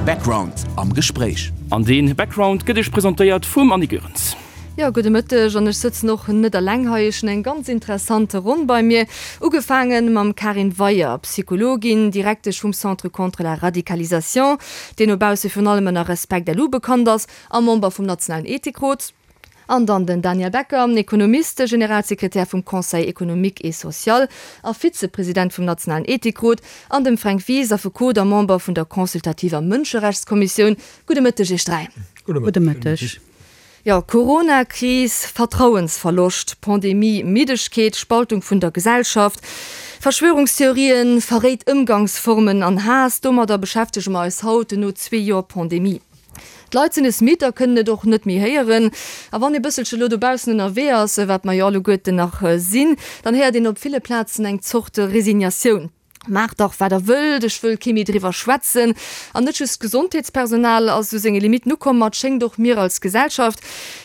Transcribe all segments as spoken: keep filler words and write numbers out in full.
Background am Gespréich. An dee Background gëtt iech presentéiert vum Annie Goerens. Jo, gudde Mëtteg an ech sëtzen och net eleng hei, ech hunn eng ganz interessant Ronn bei mir. Ugefaange mam Karin Weyer, Psychologin, Direktesch vum Centre contre la radicalisation, deen no bausse virun allem ënner Respect LU bekannt ass, a Member vum nationalen Ethikrot. An dann den Daniel Becker, Ekonomist, Generalsekretär vum Conseil économique et social a Vizepresident vum nationalen Ethikrot, an dem Fränk Wies, Affekot a Member vun der consultativer Mënscherechtskommissioun. Gudde Mëtteg Iech dräi. Gudde Mëtteg. Jo, Coronakris, Vertrauensverloscht, Pandemie, Middegkeet, Spaltung vun der Gesellschaft, Verschwörungstheorien, verréit Ëmgangsformen an Haass, domadder beschäftege mer eis haut no zwee Joer Pandemie. D'Leit sinn es midd a kënnen et och net méi héieren. A wann ee bësselche lo dobaussen ënnerwee ass, wat mer jo alleguerten nach sinn, dann héiert een op ville Plazen eng Zort Resignatioun, Maacht dach wat der wëllt, ech wëll kee méi driwwer schwätzen. An net just d'Gesondheetspersonal ass u senge Limitten ukomm, ma et schéngt och mir als Gesellschaft.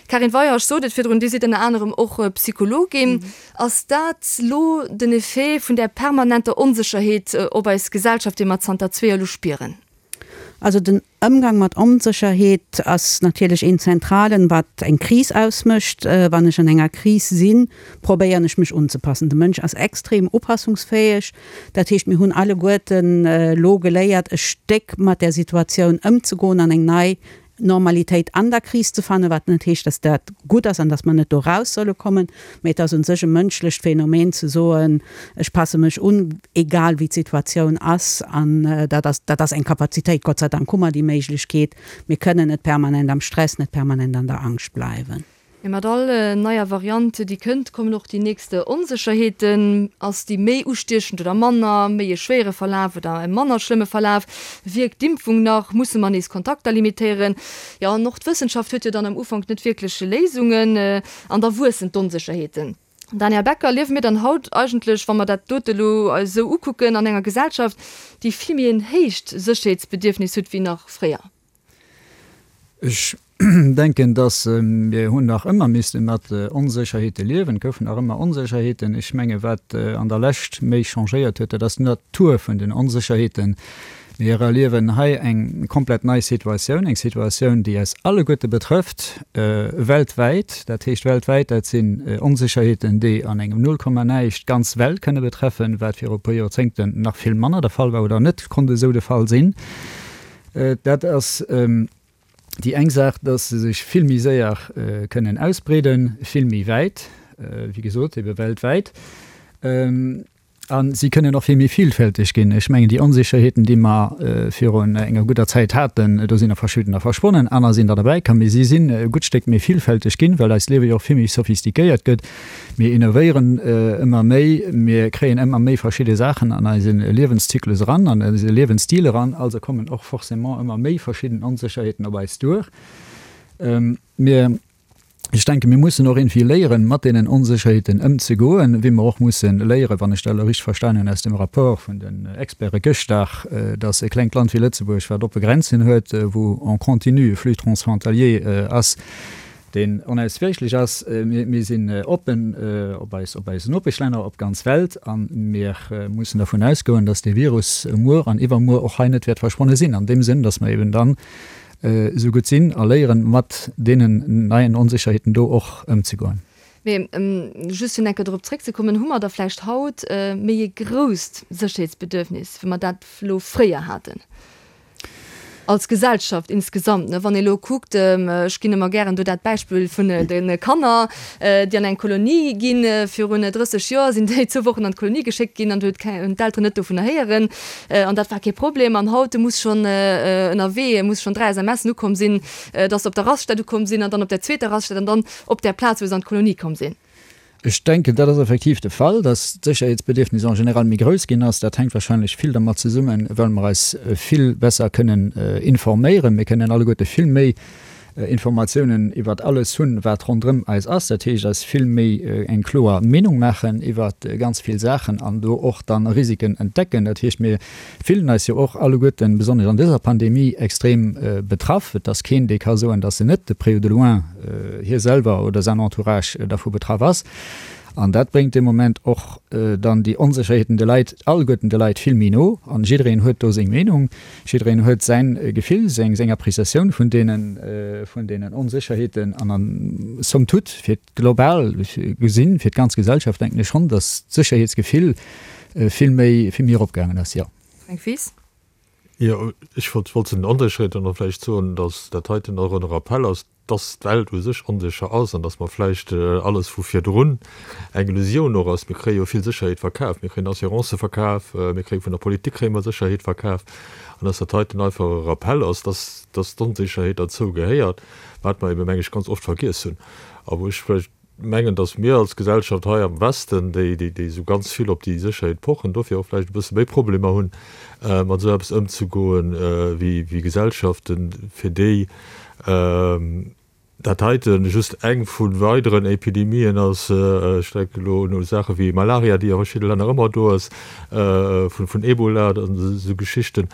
Karin Weyer, ech sot et virdrun, Dir sidd ënner anerem och Psychologin. Ass dat lo den Effet vun där permanenter Onsécherheet op eis Gesellschaft, déi mer zanter zwee Joer elo spieren? Also den Ëmgang mat Onsécherheet ass natierlech een zentralen, wat eng Kris ausmécht. Wann ech an enger Kris sinn, probéieren ech mech unzepassen. De Mënsch ass extrem upassungsfäeg. Dat heescht, mir hunn alleguerten elo geléiert e Stéck mat där Situatioun ëmzegoen an eng nei Normalitéit an der Kris ze fannen, wat net heescht, dass dat gutt ass an dass mer net do raus solle kommen, mä et ass un sech e mënschlecht Phänomen ze soen, ech passe mech un, egal wéi d'Situatioun ass. An dat ass, dat ass eng Kapazitéit, Gott sei Dank hu mer déi Méiglechkeet, mir kënnen net permanent am Stress, net permanent an der Angscht bleiwen. Mee mat all neier Variant, déi kënnt, kommen och déi nächst Onsécherheeten. Ass déi méi ustiechend oder manner, méi e schwéiere Verlaf oder e manner schlëmme Verlaf? Wierkt d'Impfung nach? Musse mer nees Kontakter limitéieren? Jo, an och d'Wëssenschaft huet jo dann am Ufank net wierklech Léisungen. An da wuessen d'Onsécherheeten. Daniel Becker, Liewe mir dann haut eigentlech, wa mer dat dote elo eis esou ukucken, an enger Gesellschaft, déi vill méi en héicht Sécherheetsbedierfnis huet wéi nach fréier? Ech denken, dass mir hunn nach ëmmer misste mat Onsécherheete liewen. Et goufen nach ëmmer Onsécherheeten. Ech menge wat an der Lescht méi changéiert huet, dat ass d'Natur vun den Onsécherheeten. Mir erliewen hei eng komplett nei Situatioun, eng Situatioun, déi eis alleguerte betrëfft, weltwäit. Dat heescht weltwäit, dat sinn Onsécherheeten, déi an engem Nullkomma-näischt d'ganz Welt kënne betreffen, wat viru e puer Joerzéngten nach vill manner de Fall war oder net konnt esou de Fall sinn. Dat ass déi eng Saach, dass se sech vill méi séier kënnen ausbreeden, vill méi wäit, wéi gesot, ebe weltwäit. A si kënnen och vill méi vielfälteg ginn. Ech mengen, déi Onsécherheeten, déi mer virun enger gudder Zäit haten, do sinn der verschiddener verschwonnen, aner sinn der derbäikomm, mee si sinn e gutt Stéck méi vielfälteg ginn, well eist Liewe jo och vill méi sophistiquéiert gëtt. Mir innovéieren ëmmer méi, mir kréien ëmmer méi verschidde Saachen an eise Liewenszyklus eran, an eise Liewensstil eran, also kommen och forcément ëmmer méi verschidden Onsécherheeten op eis duer. Mir, ech denken, mir mussen och iergendwéi léieren, mat deenen Onsécherheeten ëmzegoen, wéi mer och musse léieren, wann ech dat elo richteg verstanen hunn aus dem Rapport vun den Experte gëschter, dass e klengt Land wéi Lëtzebuerg, wat oppe Grenzen huet, wou en continu e Flux transfrontalier ass, deen onauswäichlech ass. Mir sinn oppen op eis, op eis Nopeschlänner, op d'ganz Welt a mir mussen dervun ausgoen, dass dee Virus muer an iwwermuer och hei net wäert verschwonne sinn, an deem Sënn, dass mer eben dann esou gutt sinn a léieren, mat deenen neien Onsécherheeten do och ëmzegoen. Mee just fir nach eng Kéier dorop zréckzekommen, Hu mer da vläicht haut méi e grousst Sécherheetsbedürfnis, wéi mer dat elo fréier haten? Als Gesellschaft insgesamt, ne, wann ee lo kuckt, ech ginn ëmmer gären do dat Beispill vun de Kanner, déi an eng Kolonie ginn, virun drësseg Joer sinn déi zwou Wochen an d'Kolonie geschéckt ginn an do huet hunn d'Elteren net dovunner héieren an dat war kee Problem. An haut muss schonn ënnerwee, muss schonn dräi SMSen ukomm sinn, dass se op der Raststätt ukomm sinn an dann op der zweeter Raststätt an dann op där Plaz, wou se an d'Kolonie komm sinn. Ech denken, dat ass effektiv de Fall, dass d'Sécherheetsbedierfnis en général méi grouss ginn ass. Dat hänkt wahrscheinlech vill dermat zesummen, well mer eis vill besser kënnen informéieren. Mir kënnen alleguerte vill méi Informatiounen iwwert alles hunn, wat ronderëm eis ass. Dat heescht, eis vill méi eng kloer Meenung maachen iwwert ganz vill Saachen an do och dann Risiken entdecken. Dat heescht, mir fillen eis jo och alleguerten, besonnesch an dëser Pandemie, extrem betraff. Et ass keen, dee ka soen, dass en net de près ou de loin hie selwer oder säin Entourage dervu betraff ass. An dat bréngt de Moment och dann déi Onsécherheeten de Leit, alleguerten de Leit vill méi no. An jiddereen huet do seng Meenung, jiddereen huet säin Gefill, seng seng Appréciatioun vun deenen vun deenen Onsécherheeten. An an somme toute, fir global gesinn, fir d'ganz Gesellschaft, denken ech schonn, datt d'Sécherheetsgefill vill méi vill méi eropgaangen ass, jo. Fränk Wies. Jo, ech wollt wollt zu den Onsécherheeten och vläicht soen, datt dat heiten och en Rappell ass, datt d'Welt u sech onsécher ass an datt mer vläicht alles vu virdrun eng Illusioun och ass. Mir kréie jo vill Sécherheet verkaf, mir kréien Assurancë verkaf, mir kréie vun der Politik kréie mer Sécherheet verkaf an datt dat heiten einfach e Rappell ass, datt datt d'Onsécherheet derzou gehéiert, wat mer ebe meng ech ganz oft vergiess hunn a wou ech vläicht mengen, datt mir als Gesellschaft hei am Westen, déi déi déi esou ganz vill op déi Sécherheet pochen, dofir och vläicht e bësse méi Problemer hunn, mat esou eppes ëmzegoen, wéi wéi Gesellschaften, fir déi dat heite just eng vu weideren Epidemien ass. Ech denken elo un Saache wéi Malaria, déi a verschidde Länner ëmmer do ass, vun vun Ebola an esou Geschichten.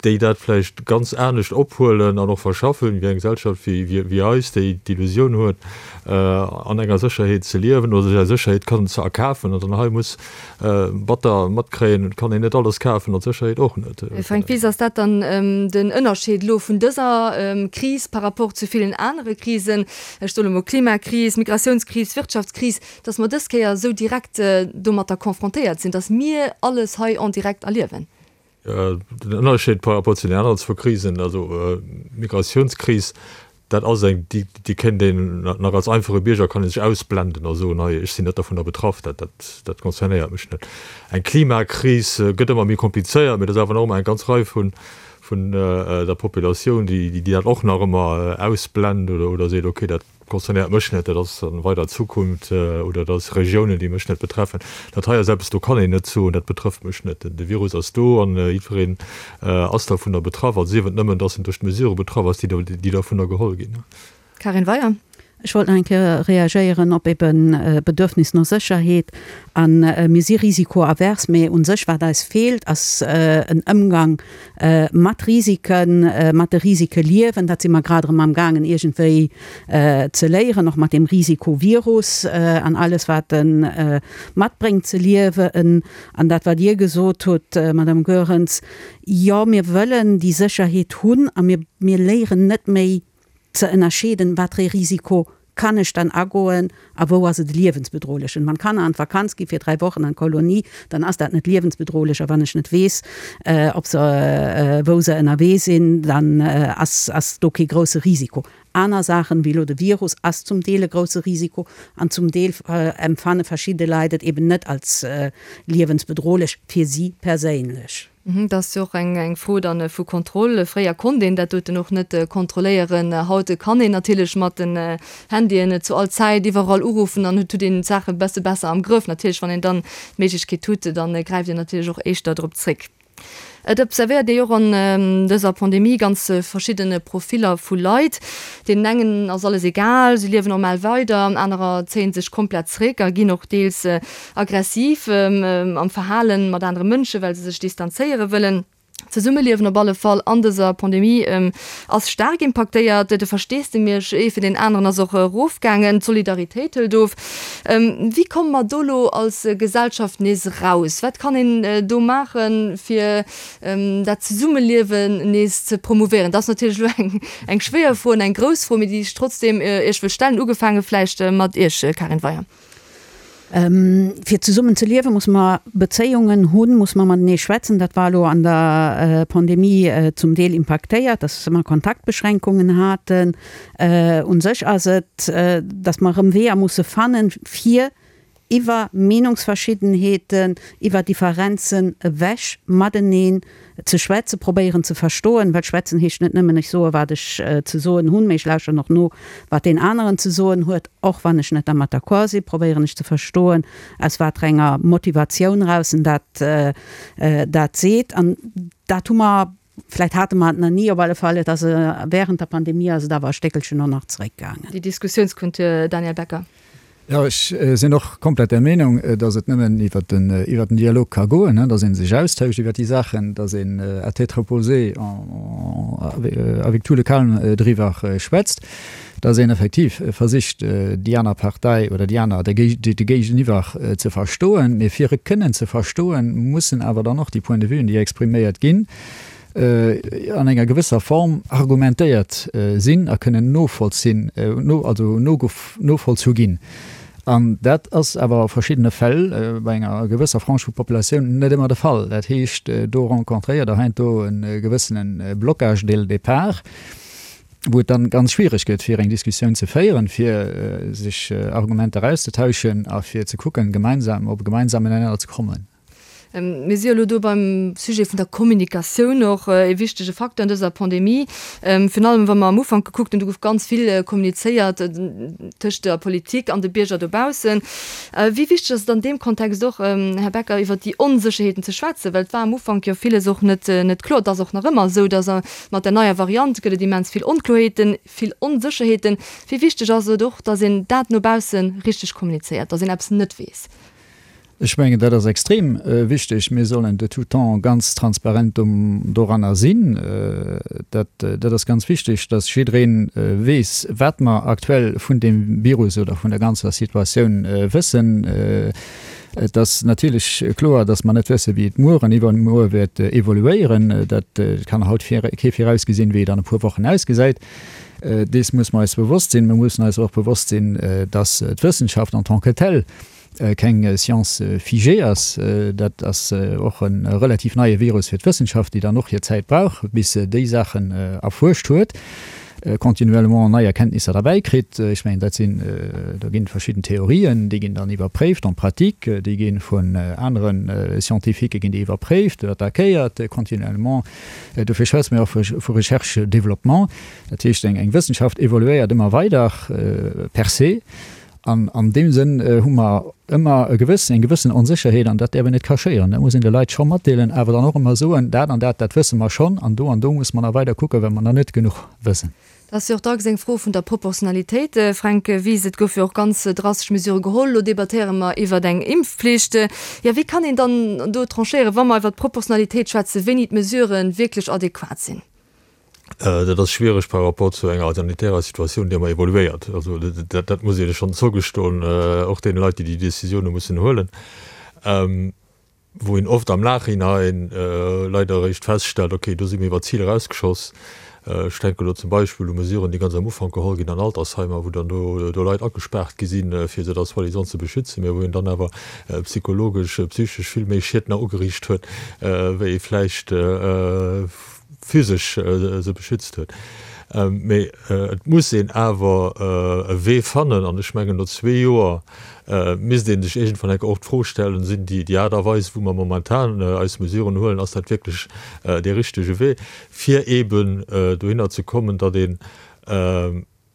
Déi dat vläicht ganz anescht ophuelen an och verschaffen, wéi eng Gesellschaft wéi eis, déi d'Illusioun huet, an enger Sécherheet ze liewen oder sech eng Sécherheet kann ze erkafen an dann hei muss batter matkréien, et kann een net alles kafen an d'Sécherheet och net. Fränk Wies, Ass dat dann den Ënnerscheed elo vun dëser Kris par rapport zu villen anere Krisen, ech soen emol Klimakris, Migratiounskris, Wirtschaftskris, datt mer dës Kéier esou direkt domatter confrontéiert sinn, datt mir alles hei en direct erliewen? Den Ënnerscheed par rapport zu den aneren zwou Krisen, also d'Migratiounskris, dat ass eng, déi, déi kéint een nach als einfache Bierger kann ee sech ausblenden a soen, hei ech sinn net dovunner betraff, dat, dat, dat concernéiert mech net. Eng Klimakris gëtt ëmmer méi komplizéiert, mee et ass awer nach ëmmer eng ganz Rei vun, vun der Populatioun, déi, déi dat och nach ëmmer ausblend oder, oder seet, okay, dat concernéiert mech net, dat ass an weider Zukunft oder dat ass Regiounen, déi mech net betreffen. Dat hei ass eppes, do kann een net soen, dat betrëfft mech net. De Virus ass do an jiddwereen ass dovunner betraff, a sief et nëmmen, dass en duerch d'Mesurë betraff ass, déi dovunner geholl ginn. Karin Weyer. Ech wollt nach eng Kéier reagéieren op eben Bedürfnis no Sécherheet. A mir si risikoavers, mä u sech wat eis feelt, ass en Ëmgang mat Risiken, mat de Risike liewen. Dat si mer grad erëm amgaangen iergendwéi ze léieren, och mat deem Risikovirus an alles wat e matbréngt ze liewen. An dat wat Dir gesot hutt, Madame Goerens, jo mir wëllen déi Sécherheet hunn a mir mir léieren net méi ze ënnerscheeden, wat fir ee Risiko kann ech dann agoen a wou ass et liewensbedrohlech. Wann d'Kanner an d'Vakanz gi fir dräi Wochen an d'Kolonie, dann ass dat net liewensbedrohlech. A wann ech net weess, ob se, wou se ënnerwee sinn, dann ass ass do kee grousse Risiko. Aner Saachen, wéi elo de Virus, ass zum Deel e grousse Risiko an zum Deel empfanne verschidde Leit et eben net als liewensbedrohlech fir si perséinlech. Dat ass jo och eng Fro dann vu Kontroll. Fréier konnt een dat doten och net kontrolléieren. Haut kann een natierlech mat den Handyen zu all Zäit iwwerall uruffen an huet een d'Saache besse besser am Grëff. Natierlech wann een dann d'Méiglechkeet huet, dann gräift een natierlech och éischter drop zréck. Et observéiert ee jo och an dëser Pandemie ganz verschidde Profiller vu Leit. Deenen engen ass alles egal, si liewen normal weider, anerer zéie sech komplett zréck a ginn och deels aggressiv am Verhalen mat anere Mënschen, well se sech distanzéiere wëllen. D'Zesummeliewen op alle Fall an dëser Pandemie ass staark impaktéiert. De Versteesdemech ee fir deen aneren ass och erofgaangen, d'Solidaritéit hëlt of. Wéi komme mer do elo als Gesellschaft nees eraus? Wat kann een do maachen, fir dat Zesummeliewen nees ze promouvéieren? Dat ass natierlech elo eng eng schwéier Fro an eng grouss Fro, mee déi ech trotzdeem Iech wëll stellen, ugefaange vläicht mat Iech, Karin Weyer. Fir zesummen ze liewen, muss mer Bezéiungen hunn, muss mer matenee schwätzen. Dat war elo an der Pandemie zum Deel impaktéiert, dass mer Kontaktbeschränkungen haten. U sech ass et, dass mer erëm Weeër musse fannen, fir iwwer Meenungsverschiddenheeten, iwwer Differenzen ewech mateneen ze schwätzen, probéieren ze verstoen, well schwätzen heescht net nëmmen, ech soe wat ech ze soen hunn, mee ech lauschteren och no, wat deen aneren ze soen huet, och wann ech net dermat d'accord sinn, probéieren ech ze verstoen, aus waterenger Motivatioun eraus en dat dat seet. An dat hu mer, vläicht hate mer et nach ni, op alle Fall, et ass während der Pandemie ass et awer e Stéckelchen och nach zeréckgaangen. Déi Diskussiounskultur, Daniel Becker. Jo, ech sinn och komplett där Meenung, datt et nëmmen iwwert den, iwwert den Dialog ka goen, datt ee sech austauscht iwwert déi Saachen, datt een à tête reposée avec tout le calme driwwer schwätzt, dass een effektiv versicht, déi aner Partei oder déi aner, de Géigeniwwer ze verstoen. Mee fir e kënnen ze verstoen, mussen awer dann och déi Point de vuen, déi expriméiert ginn, an enger gewësser Form argumentéiert sinn a kënnen novollzinn, also novollzu ginn. An dat ass awer a verschiddene Fäll bei enger gewësser Frange vu Populatioun net ëmmer de Fall. Dat heescht, do rencontréiert Der heiansdo e gewëssene Blocage dès le départ, wou et dann ganz schwierig gëtt, fir eng Diskussioun ze féieren, fir sech Argumenter auszetauschen a fir ze kucken, gemeinsam op e gemeinsamen Nenner ze kommen. Mir si jo elo do beim Sujet vun der Kommunikatioun, och e wichtege Facteur an dëser Pandemie. Virun allem, wa mer am Ufank gekuckt hunn, do gouf ganz vill kommunizéiert tëscht der Politik an de Bierger dobaussen. Wéi wichteg ass et an deem Kontext och, Här Becker, iwwert déi Onsécherheeten ze schwätzen? Well et war am Ufank jo villes och net net kloer. Et ass och nach ëmmer esou, dass mat der neier Variant gëtt et immens vill Onkloheeten, vill Onsécherheeten. Wéi wichteg ass et och, dass een dat no bausse richteg kommunizéiert, dass een eppes net weess? Ech mengen, dat ass extrem wichteg. Mir sollen de tout temps ganz transparent doranner sinn. Dat, dat ass ganz wichteg, dass jidderee weess, wat mer aktuell vun deem Virus oder vun der ganzer Situatioun wëssen. Et ass natierlech kloer, dass mer net wëssen, wéi et muer an iwwermuer wäert evoluéieren. Dat kann haut kee virausgesinn, wéi et an e puer Wochen ausgesäit. Dees muss mer eis bewosst sinn. Mir mussen eis och bewosst sinn, dass d'Wëssenschaft en tant que telle keng Science figée ass. Dat ass och e relativ neie Virus fir d'Wëssenschaft, déi dann och hir Zäit brauch, bis se déi Saachen erfuerscht huet, continuellement nei Erkenntnisser derbäi kritt. Ech mengen, dat sinn, do ginn verschidden Theorien, déi ginn dann iwwerpréift en pratique, déi gi vun anere Scientifiquë ginn déi iwwerpréift, attackéiert continuellement. Dofir schwätze mir och vu Recherche-développement. Dat heescht, eng Wëssenschaft evoluéiert ëmmer weider per se. An an deem Sënn hu mer ëmmer e gewëssen, eng gewëssen Onsécherheet, an dat däerf een net cachéieren. Dat muss een de Leit scho matdeelen, awer dann och ëmmer soen, dat an dat, dat wësse mer schonn, an do an do muss mer nach weider kucken, well mer nach net genuch wëssen. Dat ass jo och dacks eng Fro vun der Proportionalitéit, Fränk Wies. Et goufe jo och ganz drastesch Mesurë geholl. Elo debattéiere mer iwwert eng Impfpflicht. Jo, wéi kann een dann do tranchéieren, wa mer iwwert d'Proportionalitéit schwätzen, wéini d'Mesurë wierklech adequat sinn? Dat ass schwiereg par rapport zu enger sanitärer Situatioun, déi ëmmer evoluéiert. Also dat, dat muss ee schonn zougestoen, och deene Leit, déi déi Décisioune mussen huelen, wou een oft am Nachhinein leider eréischt feststellt, okay, do si mir iwwer d'Zil erausgeschoss. Ech denken elo zum Beispill u Mesuren, déi ganz am Ufank geholl ginn an Altersheimer, wou dann do do Leit agespaart gi sinn, fir se da soi-disant ze beschützen, mä wou een dann awer psychologesch, psychesch vill méi Schied nach ugeriicht huet, wéi ee vläicht physesch se beschützt huet. Mee et muss een awer e Wee fannen, an ech mengen, no zwee Joer misst ee sech iergendwann eng Kéier och d'Fro stellen, Sinn déi Aart a Weis, wou mer momentan eis Mesuren huelen, ass dat wierklech dee richtege Wee, fir eeben dohinner ze kommen, datt een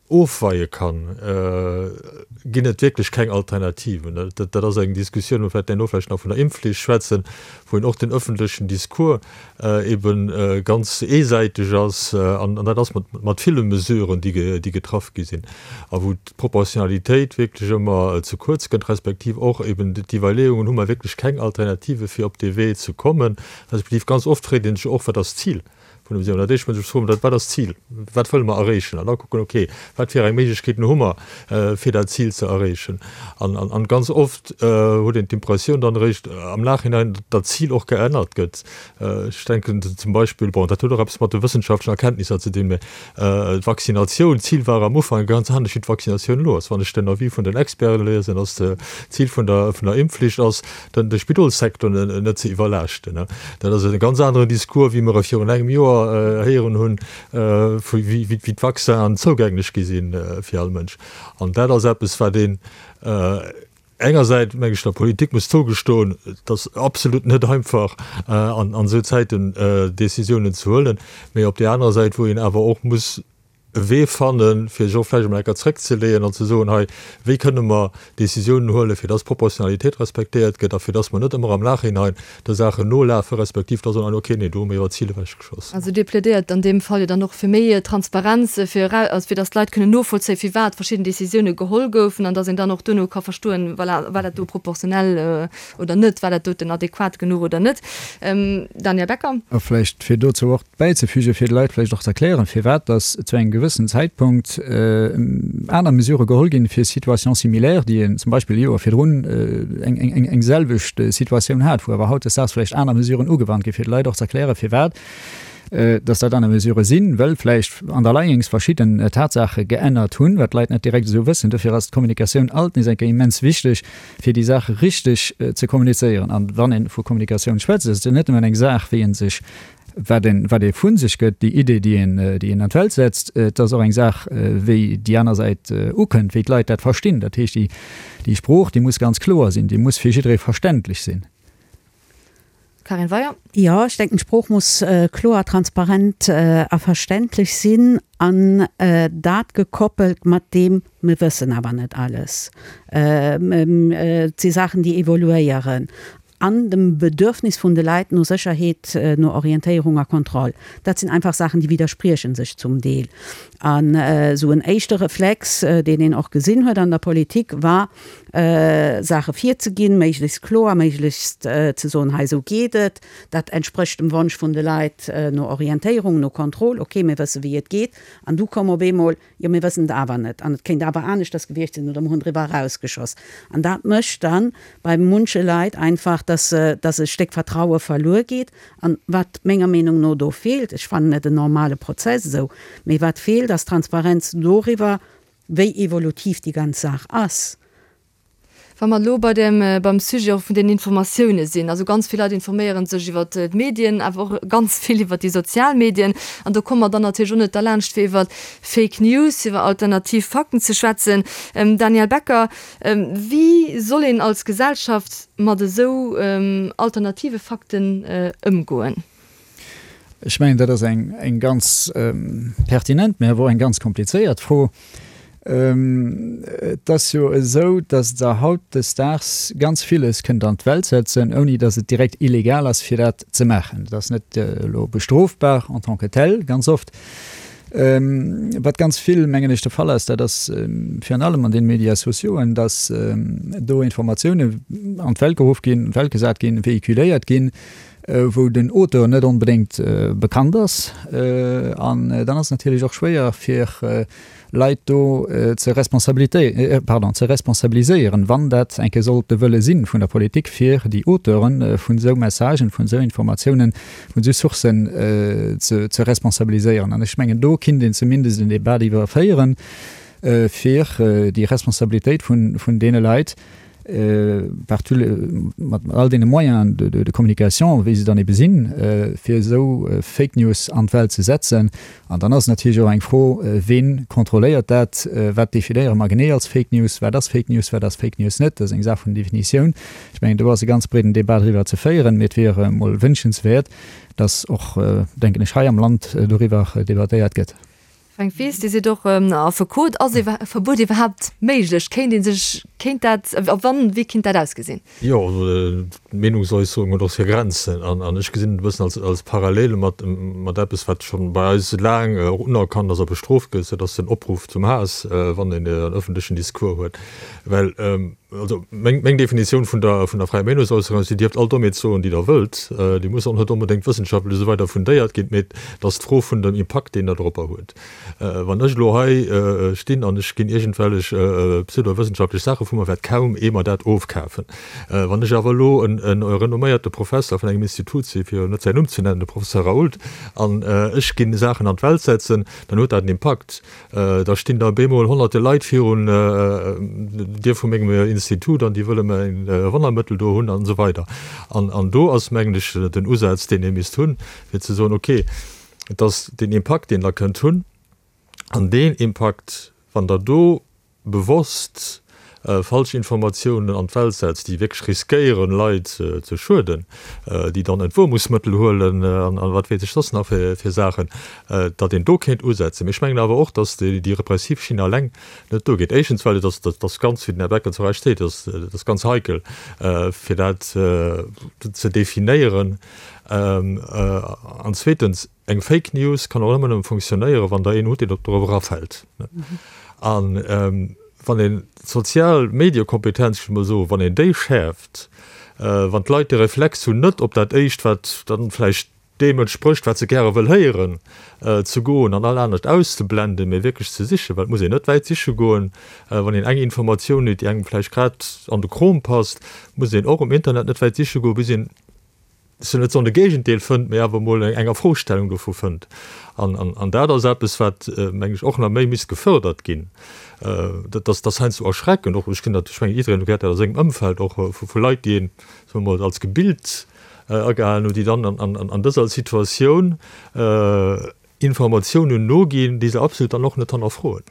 ofweie kann, ginn et wierklech keng Alternativen. Dat ass eng Diskussioun, wou mer duerno vläicht nach vun der Impfflicht schwätzen, wou een och den öffentlechen Discours ebe ganz eesäiteg ass, an dat ass mat ville Mesuren, déi getraff gi sinn, a wou d'Proportionalitéit wierklech ëmmer ze kuerz kënnt, respektiv och eben d'Iwwerleeungen, hu mer wierklech keng Alternative fir op dee Wee ze kommen, respektiv ganz oft freet ee sech och, wat ass d'Zil vun dem Sinn. Dat éischt muss ech froen, wat ass d'Zil, wat wëlle mer erreechen? An da kucken, okay, wat fir eng Méiglechkeeten hu mer, fir dat Zil ze erreechen? An, an ganz oft huet een d'Impressioun dann eréischt am Nachhinein, datt d'Zil och geännert gëtt. Ech denken zum Beispill, bon, dat huet och eppes mat de wëssenschaftlechen Erkenntnisser ze dinn, mä d'Vaccinatioun, d'Zil war am Ufank e ganz anescht wéi d'Vaccinatioun elo ass. Wann ech den Avis vun den Experten liesen, ass d'Zil vun der, vun der Impfflicht ass, den, de Spidolssecteur net ze iwwerlaaschten. Dat ass e ganz aneren Discours, wéi mer e virun engem Joer héieren hunn, wéi d'Vaccinen zougänglech gi si fir all Mënsch. An dat ass eppes, wat een engersäits, meng ech, der Politik muss zougestoen, et ass absolut net einfach, an esou Zäiten Décisiounen ze huelen, mee op där anerer Säit, wou een awer och muss e Wee fannen, fir sech och vläicht emol eng Kéier zréckzeleeën an ze soen, hei, wéi kënne mer Décisiounen huelen, fir dass d'Proportionalitéit respektéiert gëtt a fir dass mer net ëmmer am Nachhinein de Saachen nolafen, respektiv da soen, okay, nee, do hu mir iwwer d'Zil ewechgeschoss. Also Dir plädéiert an deem Fall jo dann och fir méi Transparenz, fir also fir dass d'Leit kënnen novollzéien, firwat verschidden Décisioune geholl goufen an dass een dann och duerno ka verstoen, voilà, war dat do proportionell oder net, war dat doten adequat genuch oder net. Daniel Becker. A vläicht fir dozou och bäizefügen, fir de Leit vläicht och ze erklären, firwat dass zu engem gewëssen Zäitpunkt aner Mesurë geholl ginn, fir Situations similaires, déi een zum Beispill e Joer virdrun eng selwecht Situatioun hat, wou awer hautdesdaags vläicht aner Mesuren ugewannt ginn, fir de Leit och ze erklären, firwat dass dat aner Mesurë sinn, well vläicht underlyings verschidden Tatsaache geännert hunn, wat d'Leit net direkt esou wëssen. Dofir ass d'Kommunikatioun alt nees eng Kéier immens wichteg, fir déi Saache richteg ze kommunizéieren. An wann ee vu Kommunikatioun schwätzt, ass et jo net nëmmen eng Saach, wéi ee sech, wat een, wat ee vu sech gëtt, déi Idee, déi een, déi een an d'Welt setzt, et ass och eng Saach, wéi déi aner Säit ukënnt, wéi d'Leit dat verstinn. Dat heescht, déi, déi Sprooch, déi muss ganz kloer sinn, déi muss fir jidderee verständlech sinn. Karin Weyer. Jo, ech denken, d'Sprooch muss kloer, transparent a verständlech sinn an dat gekoppelt mat deem, mir wëssen awer net alles, et si Saachen, déi evoluéieren, an dem Bedürfnis vun de Leit no Sécherheet, no Orientéierung a Kontroll. Dat sinn einfach Saachen, déi widdersprieche sech zum Deel. An esou en éischte Reflex, deen een och gesinn huet an der Politik, war, Saache virzeginn, méiglechst kloer, méiglechst ze soen, hei esou geet et, dat entsprécht dem Wonsch vun de Leit no Orientéierung, no Kontroll, okay, mir wësse wéi et geet. An du koum op eemol, jo mir wëssen et awer net an et kéint awer aneschters gewiescht sinn oder mir hunn driwwer erausgeschoss. An dat mécht dann bei munche Leit einfach, dass dass e Stéck Vertraue verluer geet. An wat menger Meenung no do feelt, ech fannen et en normale Prozess esou, mee wat feelt ass Transparenz doriwwer, wéi evolutiv déi ganz Saach ass. Wa mer elo bei dem, beim Sujet och vun den Informatioune sinn, also ganz vill Leit informéiere sech iwwer d'Medien, awer och ganz vill iwwer déi sozial Medien. An do komme mer dann natierlech och net derlaanscht, fir iwwer Fake News, iwwer alternativ Fakten ze schwätzen. Daniel Becker, wéi soll een als Gesellschaft mat esou alternative Fakten ëmgoen? Ech mengen, dat ass eng ganz pertinent, mä awer och eng ganz komplizéiert Fro. Et ass jo esou, datt Der hautdesdaags ganz villes kënnt an d'Welt setzen, ouni datt et direkt illegal ass, fir dat ze maachen. Et ass net elo bestrofbar en tant que tel, ganz oft. Wat ganz vill, mengen ech, de Fall ass, dat ass virun allem an den Médias sociauxen, datt do Informatiounen an d'Welt geruff ginn, an d'Welt gesat ginn, véhiculéiert ginn, wou den Auteur net onbedéngt bekannt ass. An dann ass et natierlech och schwéier fir Leit do ze responsabilité, pardon, ze responsabiliséieren, wann dat eng Kéier sollt de Wëlle si vun der Politik, fir déi Auteure vun esou Messagen, vun esou Informatiounen, vun esou Sourcen ze ze responsabiliséieren. An ech mengen, do kinnt een zumindest en Débat iwwer féieren, fir déi Responsabilitéit vun vun deene Leit, par tous les, mat all deene Moyens de, de, de communication, wéi se dann ebe sinn, fir esou Fake News an d'Welt ze setzen. An dann ass et natierlech och eng Fro, Ween kontrolléiert dat? Wat definéiere mer genee als Fake News? Wat ass Fake News, wat ass Fake News net? Dat ass eng Saach vun Definitioun. Ech mengen, do ass e ganz breeden Débat driwwer ze féieren, mee et wier emol wünschenswäert, dass och, denken ech, hei am Land doriwwer debattéiert gëtt. Fränk Wies, Dir sidd och Affekot. Ass e Verbuet iwwerhaapt méiglech? Kéint ee sech, kéint dat, a wann, wéi kéint dat ausgesinn? Jo, also d'Meenungsäusserung huet och hir Grenzen. An ech gesinn et e bëssen als, als Parallele mat, mat eppes, wat scho bei eis laang och unerkannt ass a bestrooft gëtt, dat ass den Opruff zum Haass, wann een en ëffentlechen Discours huet. Well Also meng, meng Definitioun vun der, vun der fräier Meenungsäusserung ass, Dir dierft all Dommheet soen, déi Der wëllt. Déi muss och net onbedéngt wëssenschaftlech esou weider fundéiert ginn, mee et ass d'Fro vun dem Impakt, deen dat eropper huet. Wann ech elo hei stinn an ech ginn iergendwellech pseudowëssenschaftlech Saache vu mer, wäert kaum ee mer dat ofkafen. Wann ech awer elo en, en renomméierte Professer vun engem Institut sinn, fir net säin Numm ze nennen, de Professor Raoult, an ech ginn Saachen an d'Welt setzen, dann huet dat en Impakt. Da stinn da bemol honnerte Leit virun der Dier vu mengem Institut an déi wëlle mäin Wonnermëttel do hunn an esou weider. An do ass, mengen ech, den Usaz, deen ee misst hunn, fir ze soen, okay, et ass deen Impakt, deen Der kënnt hunn, an deen Impakt, wann Der do bewosst Falschinformatiounen an d'Welt setzt, déi wierklech riskéieren, Leit ze schueden, déi dann Entwuermungsmëttel huelen an wat weess ech soss nach fir Saachen, datt een do kéint usetzen. Mee ech mengen awer och, datt déi repressiv Schinn alleng net duergeet. Éischtens, well et ass, dat ass ganz, wéi den Här Becker zu Recht seet, dat ass ganz heikel, fir dat ze definéieren. An zweetens, eng Fake News kann och ëmmer nëmme funktionéieren, wann Der een hutt, deen dorop erafält. An wann een d'sozial Mediekompetenz, ech wëll mol soen, wann een déi schäerft, wann d'Leit de Reflex hunn, net op dat Éischt, wat dann vläicht deem entsprécht, wat se gäre wëll héieren, ze goen an all anescht auszeblenden, mee wierklech ze sichen, well et muss een net wäit siche goen, wann een eng Informatioun huet, déi engem vläicht grad an de Krom passt, muss een och um Internet net wäit siche goen, bis een, ech wëll net soen de Géigendeel fënnt, mee awer emol eng Afrostellung dovu fënnt. An, an, an dat ass eppes, wat, meng ech, och nach méi misst gefördert ginn. Dat ass, dat ass heiansdo erschreckend, och ech kinn dat, ech mengen, jiddereen huet dat a sengem Ëmfeld och, vu, vu Leit, déi een, soe mer mol, als gebilt agehalen hunn, déi dann an dëser Situatioun Informatiounen noginn, déi se absolut dann och net hannerfroen.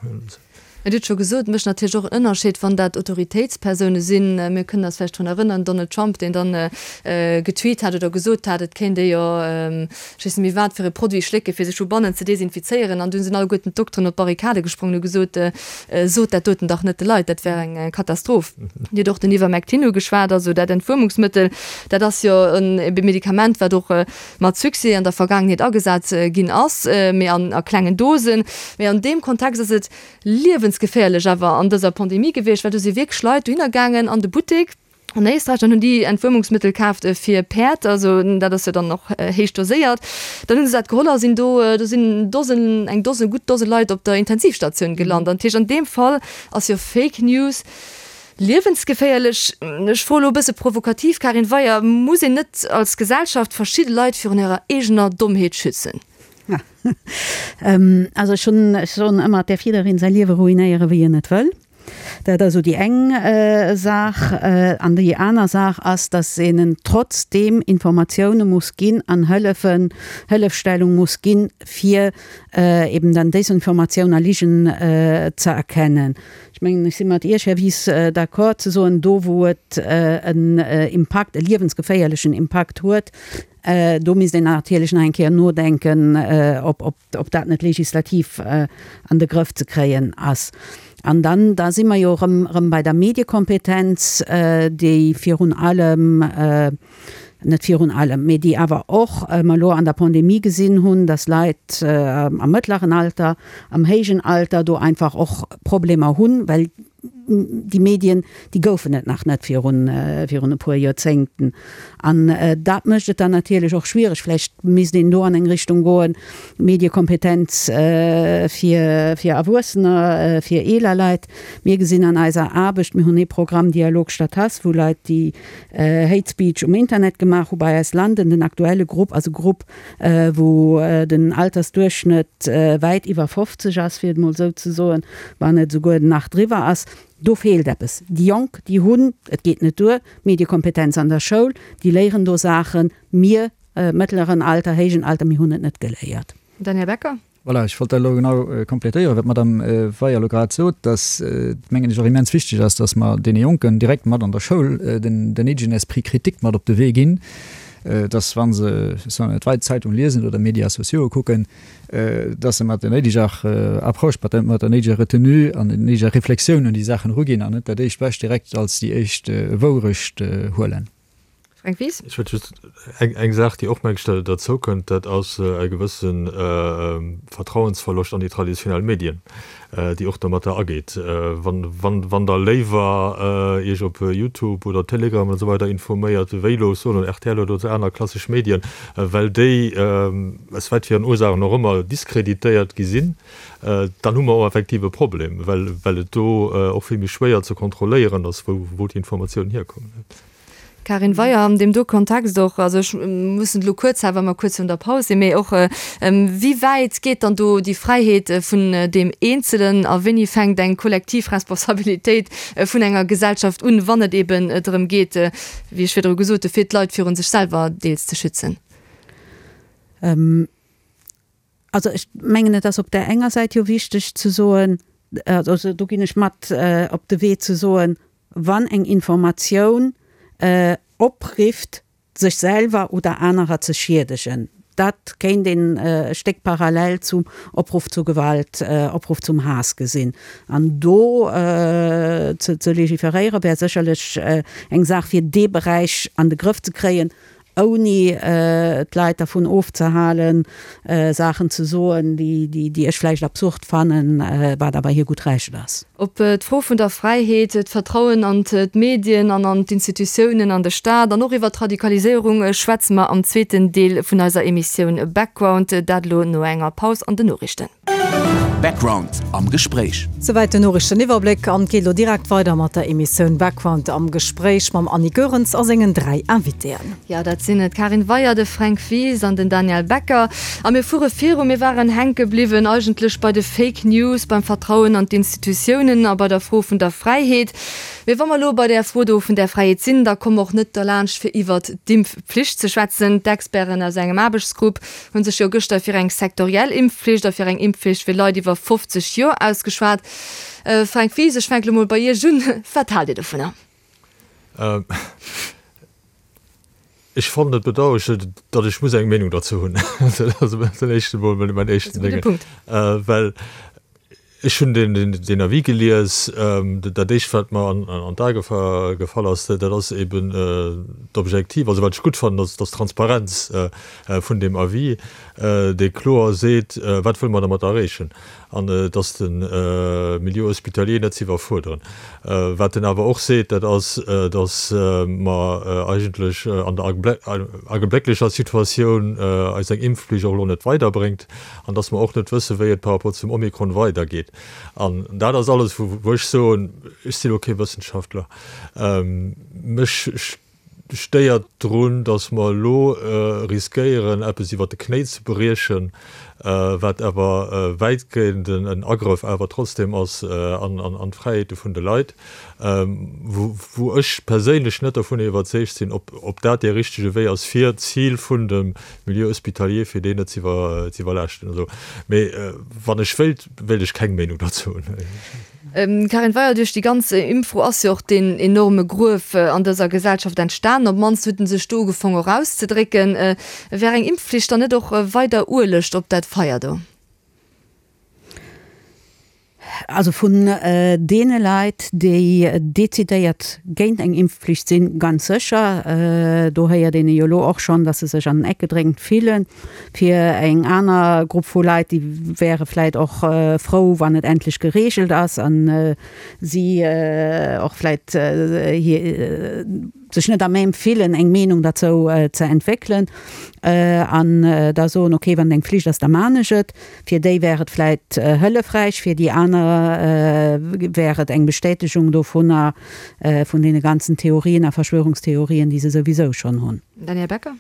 Dir hutt scho gesot, et mécht natierlech och en Ënnerscheed, wann dat Autoritéitspersoune sinn. Mir kënnen eis vläicht drun erënneren, Donald Trump, deen dann getweet hat oder gesot hat, et kéint ee jo, ech weess net méi wat fir e Produit schlécke fir sech vu bannen ze desinfizéieren. An dunn sinn alleguerten d'Dokteren op d'Barrikade gesprongen hu gesot, Sot dat doten dach net de Leit, dat wär eng Katastroph. Dir hutt och den Ivermectin ugeschwat, also dat Entwuermungsmëttel, dat ass jo e Medikament, wat och mat Succès an der Vergaangenheet agesat ginn ass, mee an a klengen Dosen. Mee an deem Kontext ass et liewensgeféierlech awer an dëser Pandemie gewiescht, well do si wierklech Leit dohinner gaangen an de Buttek an Éisträich an hunn déi Entwuermungsmëttel kaaft fir Päerd, also dat ass jo dann och héich doséiert. Dann hu se dat geholl a sinn do, do sinn Dosen, eng Dose, gutt Dose Leit op der Intensivstatioun gelant. An dat heescht, an deem Fall ass jo Fake News liewensgeféierlech. Ech froe lo e bësse provokativ, Karin Weyer, muss een net als Gesellschaft verschidde Leit virun hirer eegener Dommheet schützen? Also ech hunn, ech soen ëmmer, et däerf jiddereen säi Liewe ruinéiere wéi en et wëll. Dat ass esou déi eng Saach. An déi aner Saach ass, datt een en trotzdeem Informatioune muss ginn an Hëllefen, Hëllefstellung muss ginn, fir eben dann Désinformatioun a Ligen ze erkennen. Ech mengen, ech si mat Iech, Här Wies, d'accord ze soen, do wou et en Impakt, e liewensgeféierlechen Impakt huet, do misst een natierlech nach eng Kéier nodenken, ob, ob dat net legislativ an de Grëff ze kréien ass. An dann, da si mer jo erëm, erëm bei der Mediekompetenz, déi virun allem, net virun allem, mee déi awer och mer elo an der Pandemie gesinn hunn, dass Leit am mëttleren Alter, am héijen Alter do einfach och Problemer hunn, well déi Medien, déi goufen et nach net virun, virun e puer Joerzéngten. An dat mécht et dann natierlech och schwiereg. Vläicht misst een do an eng Richtung goen, Mediekompetenz fir, fir Erwuessener, fir eeler Leit. Mir gesinn an eiser Aarbecht, mir hunn ee Programm Dialog statt Hass, wou Leit, déi Hate Speech um Internet gemaach hu bei eis landen. Den aktuelle Grupp ass e Grupp, wou den Altersduerchschnëtt wäit iwwer fofzeg ass, fir et emol esou ze soen, wann net esouguer nach driwwer ass. Do feelt eppes. Déi Jonk, déi hunn, et geet net duer, Mediekompetenz an der Schoul, déi léieren do Saachen. Mir, mëttleren Alter, héijen Alter, mir hunn et net geléiert. Daniel Becker. Voilà, ech wollt dat elo genau complétéieren, wat d'Madame Weyer elo grad sot, dass et, mengen ech, och immens wichteg ass, dass mer deene Jonken direkt mat an der Schoul den néidegen Esprit critique mat op de Wee ginn, dass wa se, ech soen et, d'Welt Zeitung liesen oder Médias sociaux kucken, dass se mat der néideger Approche, mat der néideger Retenue an der néideger Reflexioun un déi Saachen eruginn an net dat éischt Bescht direkt als déi éischt Wourecht huelen. Fränk Wies. Ech wëllt just eng, eng Saach, déi och, meng ech, derzou kënnt, dat ass e gewësse Vertrauensverloscht an déi traditionell Medien, déi och domatter ageet. Wann, wann, wann Der léiwer Iech op YouTube oder Telegram an esou weider informéiert, wéi elo soen R T L oder esou aner klassesch Medien, well déi, aus wat fir en Ursaachen och ëmmer, diskreditéiert gi sinn, dann hu mer och effektiv e Problem, well, well et do och vill méi schwéier ze kontrolléieren ass, wou, wou déi Informatiounen hierkommen. Karin Weyer, an deem do Kontext och, also ech mussen et elo kuerz halen, well mer kuerz virun der Paus sinn, mee och, wéi wäit geet dann do déi Fräiheet vun deem Eenzelen a wéini fänkt eng kollektiv Responsabilitéit vun enger Gesellschaft un, wann et eben drëm geet, wéi ech virdru gesot hu, fir d'Leit virun sech selwer deels ze schützen? Also ech mengen, et ass op där enger Säit jo wichteg ze soen, also do ginn ech mat op de Wee ze soen, wann eng Informatioun oprifft, sech selwer oder anerer ze schiedegen. Dat kéint een e Stéck parallel zum Opruff zu Gewalt, Opruff zum Haass gesinn. An do ze legiferéiere wär sécherlech eng Saach, fir dee Beräich an de Grëff ze kréien, ouni d'Leit dervun ofzehalen, Saachen ze soen, déi ech vläicht absurd fannen, wat awer hir gutt Recht ass. Op d'Fro vun der Fräiheet, d'Vertrauen an d'Medien an an d'Institutiounen, an de Staat an och iwwer d'Radikaliséierung schwätze mer am zweeten Deel vun eiser Emissioun Background. Dat elo no enger Paus an den Noriichten. Background am Gespréich. Souwäit den Noriichteniwwerbléck an et geet elo direkt weider mat der Emissioun Background am Gespréich mam Annie Goerens a sengen dräi Invitéen. Jo, dat sinn d'Karin Weyer, de Fränk Wies an den Daniel Becker. A mir fuere viru. Mir waren hänke bliwwen eigentlech bei de Fake News, beim Vertrauen an d'Institutiounen a bei der Fro vun der Fräiheet. Mee wa mer elo bei där Fro do vun där Fräiheet sinn, da komme mer och net derlaanscht fir iwwert d'Impfflicht ze schwätzen. D'Experten aus engem Aarbechtsgrupp hu sech jo gëschter fir eng sektoriell Impfflicht a fir eng Impfflicht fir Leit iwwer fofzeg Joer ausgeschwat. Fränk Wies, ech fänke lo mol bei Iech un, Wat haalt Dir dovunner? Ech fannen et bedauerlech, datt ech muss eng Meenung derzou hunn. Dat ass den éischten mol mäin éischten Déngen. Well ech hunn deen Avis gelies. Dat éischt, wat mer an d'Ae gefall ass, dat ass eben d'Objektiv. Also wat ech gutt fannen, ass d'Transparenz vun deem Avis, dee kloer seet, wat wëlle mer dermat erreechen. An et ass de Milieu hospitalier net ze iwwerfuerderen. Wat en awer och seet, dat ass, datt mer eigentlech an der augenblécklecher Situatioun eis eng Impfflicht och elo net weiderbréngt an datt mer och net wëssen, wéi et par rapport zum Omikron weidergeet. An dat ass alles, wou ech soen, ech sinn elo kee Wëssenschaftler, mech stéiert drun, datt mer elo riskéieren, eppes iwwert de Knéi ze briechen, wat awer wäitgehend en Agrëff awer trotzdem ass an d'Fräiheete vun de Leit, wou ech perséinlech net dovun iwwerzeegt sinn, ob dat dee richtege Wee ass, fir d'Zil vun dem Milieu hospitalier, fir deen net ze iwwerlaaschten. Mee wann ech wéilt, wéilt ech keng Meenung dozou hunn. Karin Weyer, Duerch déi ganz Impffro ass jo och deen enorme Gruef an dëser Gesellschaft entstanen. Op d'mannst huet en sech do ugefong erauszedrécken. Wär eng Impfflicht dann net och weider Ueleg op dat Feier do? Also vun deene Leit, déi decidéiert géint eng Impfflicht sinn, ganz sécher. Do héiert een jo elo och schonn, datt se sech an den Eck gedréngt fillen. Fir eng aner Grupp vu Leit, déi wäre vläit och frou, wann et endlech gereegelt ass a si och vläit hir sech net à même fillen, eng Meenung derzou ze entwéckelen an da soen, okay, wann et eng Flicht ass, da maan ech et. Fir déi wär et vläit hëllefräich, fir déi aner wär et eng Bestätegung dovunner, vun deene ganzen Theorien a Verschwörungstheorien, déi se souwisou schonn hunn. Daniel Becker.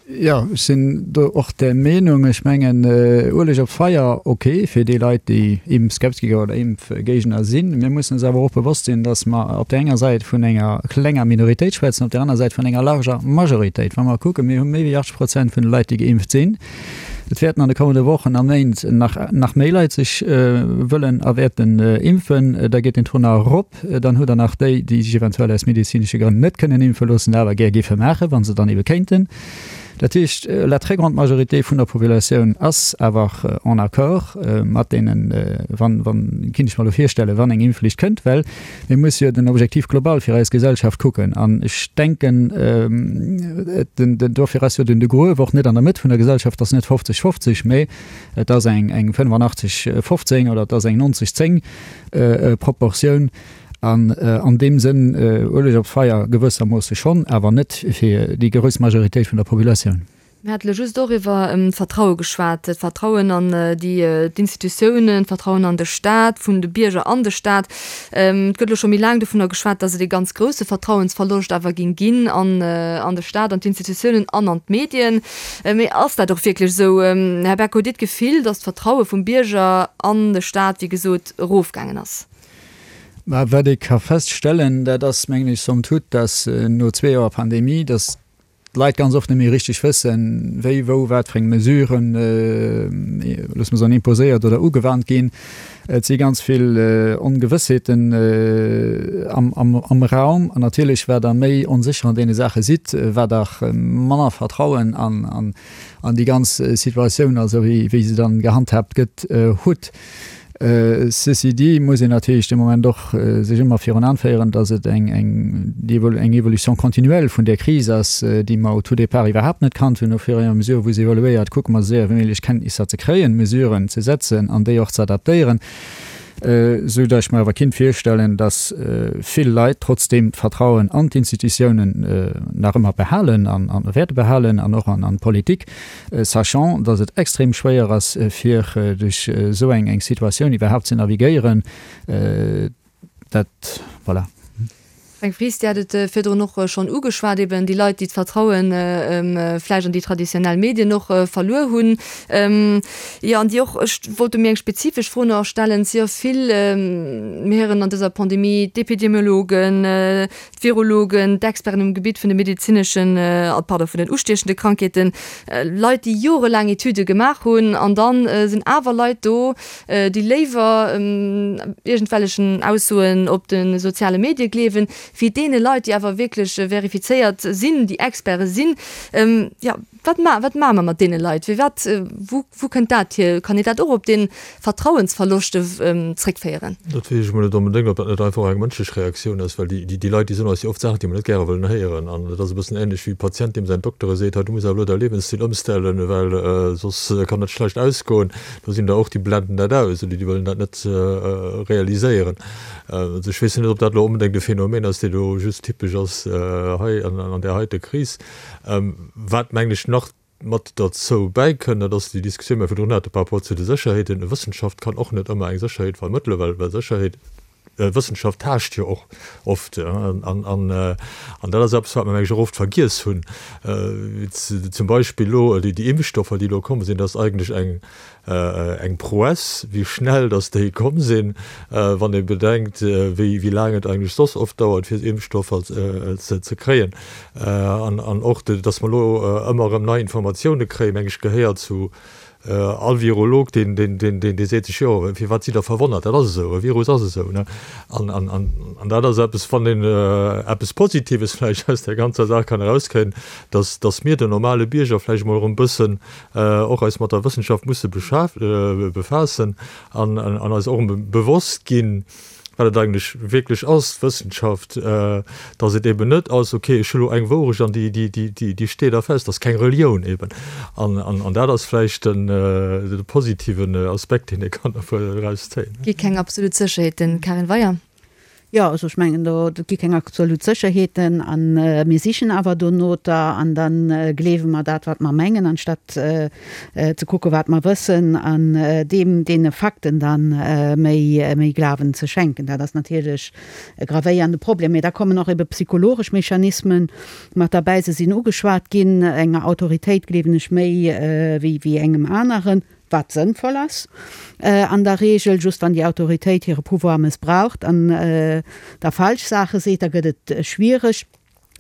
Jo, ech sinn do och där Meenung. Ech mengen, Ueleg op d'Feier, ok, fir déi Leit, déi Impfskeptiker oder Impfgéigner sinn. Mir mussen eis awer och bewosst sinn, datt mer op där enger Säit vun enger klenger Minoritéit schwätzen, op där aner Säit vun enger larger Majoritéit. Wa mer kucken, mir hu méi wéi achtzeg Prozent vun de Leit, déi geimpft sinn. Et wäerten an de kommende Wochen a Méint nach, nach méi Leit sech wëllen a wäerten impfen. Da geet den Taux nach erop. Dann hutt Der nach déi, déi sech eventuell aus medezinesche Grënn net kënnen impfe loossen, dat awer gär géife maachen, wa se dann ebe kéinten. Dat heescht, la très grande majorité vun der Populatioun ass awer en accord mat deenen, wann, wann, kinnt ech mer elo virstellen, wann eng Impfflicht kënnt, well mir musse jo den Objectif global fir eis Gesellschaft kucken. An ech denken, den, den, dofir ass jo den de Gruef och net an der Mëtt vun der Gesellschaft, ass net fofzeg fofzeg, mä et ass eng, eng fënnefenachtzeg fofzéng oder et ass eng nonzeg zéng Proportioun. An an deem Sënn, Ueleg op d'Feier gewëssermoosse schonn, awer net fir déi grouss Majoritéit vun der Populatioun. Mir hate lo just och iwwer d'Vertraue geschwat, d'Vertrauen an déi d'Institutiounen, d'Vertrauen an de Staat, vun de Bierger an de Staat. Et gëtt elo scho méi laang dovunner geschwat, datt et ee ganz grousse Vertrauensverloscht awer géing ginn an an de Staat, an d'Institutiounen an an d'Medien. Mee ass dat och wierklech esou? Här Beck, hutt Dir d'Gefill, datt d'Vertraue vum Bierger an de Staat, wéi gesot, erofgaangen ass? Mä wat ee ka feststellen, dat ass, mengen ech, somme toute, dass no zwee Joer Pandemie, dass d'Leit ganz oft net méi richteg wëssen, wéi, wou, wat fir eng Mesuren, loosse mer soen, imposéiert oder ugewannt ginn. Et si ganz vill Ongewëssheeten am, am, am Raum. An natierlech, wat Der méi onsécher an deene Saache sidd, wat Der manner Vertrauen an, an, an déi ganz Situatioun, also wéi, wéi se dann gehandhaabt gëtt, hutt. Ceci dit muss een natierlech de Moment och sech ëmmer virun Aen féieren, datt et eng eng Évolution continuelle vun där Kris ass, déi mer au tout départ iwwerhaapt net kannt hunn. Au fur et à mesure wou se evoluéiert, kucke mer esou séier wéi méiglech Kenntnisser ze kréien, Mesuren ze setzen an déi och ze adaptéieren, esou datt ech mer awer kinnt virstellen, datt vill Leit trotzdeem d'Vertrauen an d'Institutiounen nach ëmmer behalen an wäerte behalen an och an d'Politik. Sachant, dass et extrem schwéier ass, fir duerch esou eng Situatioun iwwerhaapt ze navigéieren, dat, voilà. Fränk Fries, Dir hat et virdrun och schonn ugeschwat, eben déi Leit, déi d'Vertraue vläicht an déi traditionell Medien och verluer hunn, jo, an déi och, ech wollt do méi eng spezifesch Fro nach stellen, et si jo vill, mir héieren an dëser Pandemie d'Epidemiologen, d'Virologen, d'Experten um Gebitt vun de medezineschen, pardon, vun den ustiechende Krankheeten, Leit, déi jorelaang Etüde gemaach hunn, an da sinn awer Leit do, déi léiwer iergendwellechen Aussoen op de soziale Medie gleewen, wéi deene Leit, déi awer wierklech verifizéiert sinn, déi Experte sinn. Jo, wat ma wat maache mer mat deene Leit? Firwat, wou wou kënnt dat hier? Kann een dat och op dee Vertrauensverloscht zréckféieren? Dat weess ech emol net onbedéngt, ob dat net einfach och eng mënschlech Reaktioun ass, well déi déi Leit, déi soen eis jo oft Saachen, déi mer net gäre wëllen héieren. An et ass e bëssen änlech wéi e Patient, deem säin Dokter e seet, hei du muss awer elo däi Liewensstil ëmstellen, well soss kann dat schlecht ausgoen. Do sinn der och, déi blenden dat aus oder déi wëllen dat net realiséieren. Also ech weess net, ob dat elo onbedéngt e Phänomen ass, dee lo just typesch ass hei an där heite Kris. Wat, mengen ech, nach mat derzou bäikënn, dat ass déi Diskussioun, déi mer virdrun hate par rapport zu de Sécherheeten. Wëssenschaft kann och net ëmmer eng Sécherheet vermëttelen, well well Sécherheet, Wëssenschaft taascht jo och oft. An an an dat ass eppes, wat mer, meng ech, och oft vergiess hunn. Zum Beispill elo déi Impfstoffer, déi elo komm sinn, dat ass eigentlech eng, Eng Prouesse, wéi schnell datt déi komm sinn, wann ee bedenkt, wéi laang et eigentlech soss oft dauert, fir Impfstoffer ze kréien. An och, datt mer elo ëmmer erëm nei Informatioune kréien, meng ech, gehéiert zu all Virolog, deen seet sech, jo, firwat sidd Der verwonnert, dat ass esou, e Virus ass esou. An dat ass eppes, wann een eppes Positives vläicht aus där ganzer Saach kann erauskréien, datt datt mir, den normale Bierger, vläicht emol erëm e bëssen och eis mat der Wëssenschaft musse befaassen an an eis och erëm bewosst ginn, wat et eigentlech wierklech ass, d'Wëssenschaft, datt et eben net ass, okay, ech hu lo eng Wourecht an déi déi déi déi steet da fest, dat ass keng Relioun eben. An an dat ass vläicht den de positiven Aspekt, deen ee kann dervu erauszéien. Gi keng absolut Sécherheeten, Karin Weyer. Jo, also ech mengen, do gi keng absolut Sécherheeten a mir sichen awer dono der an da gleewe mer dat, wat mer mengen, anstatt ze kucke wat mer wëssen an deem deene Fakten da méi Glawen ze schenken. Dat ass natierlech e gravéierende Problem. Mee da kommen och ebe psychologesch Mechanismen mat derbäi. Se sinn ugeschwat ginn. Enger Autoritéit gleewen ech méi wéi engem aneren. Wat sënnvoll ass an der Regel, just wann déi Autoritéit hire Pouvoir mëssbraucht an da falsch Saache seet, da gëtt et schwiereg.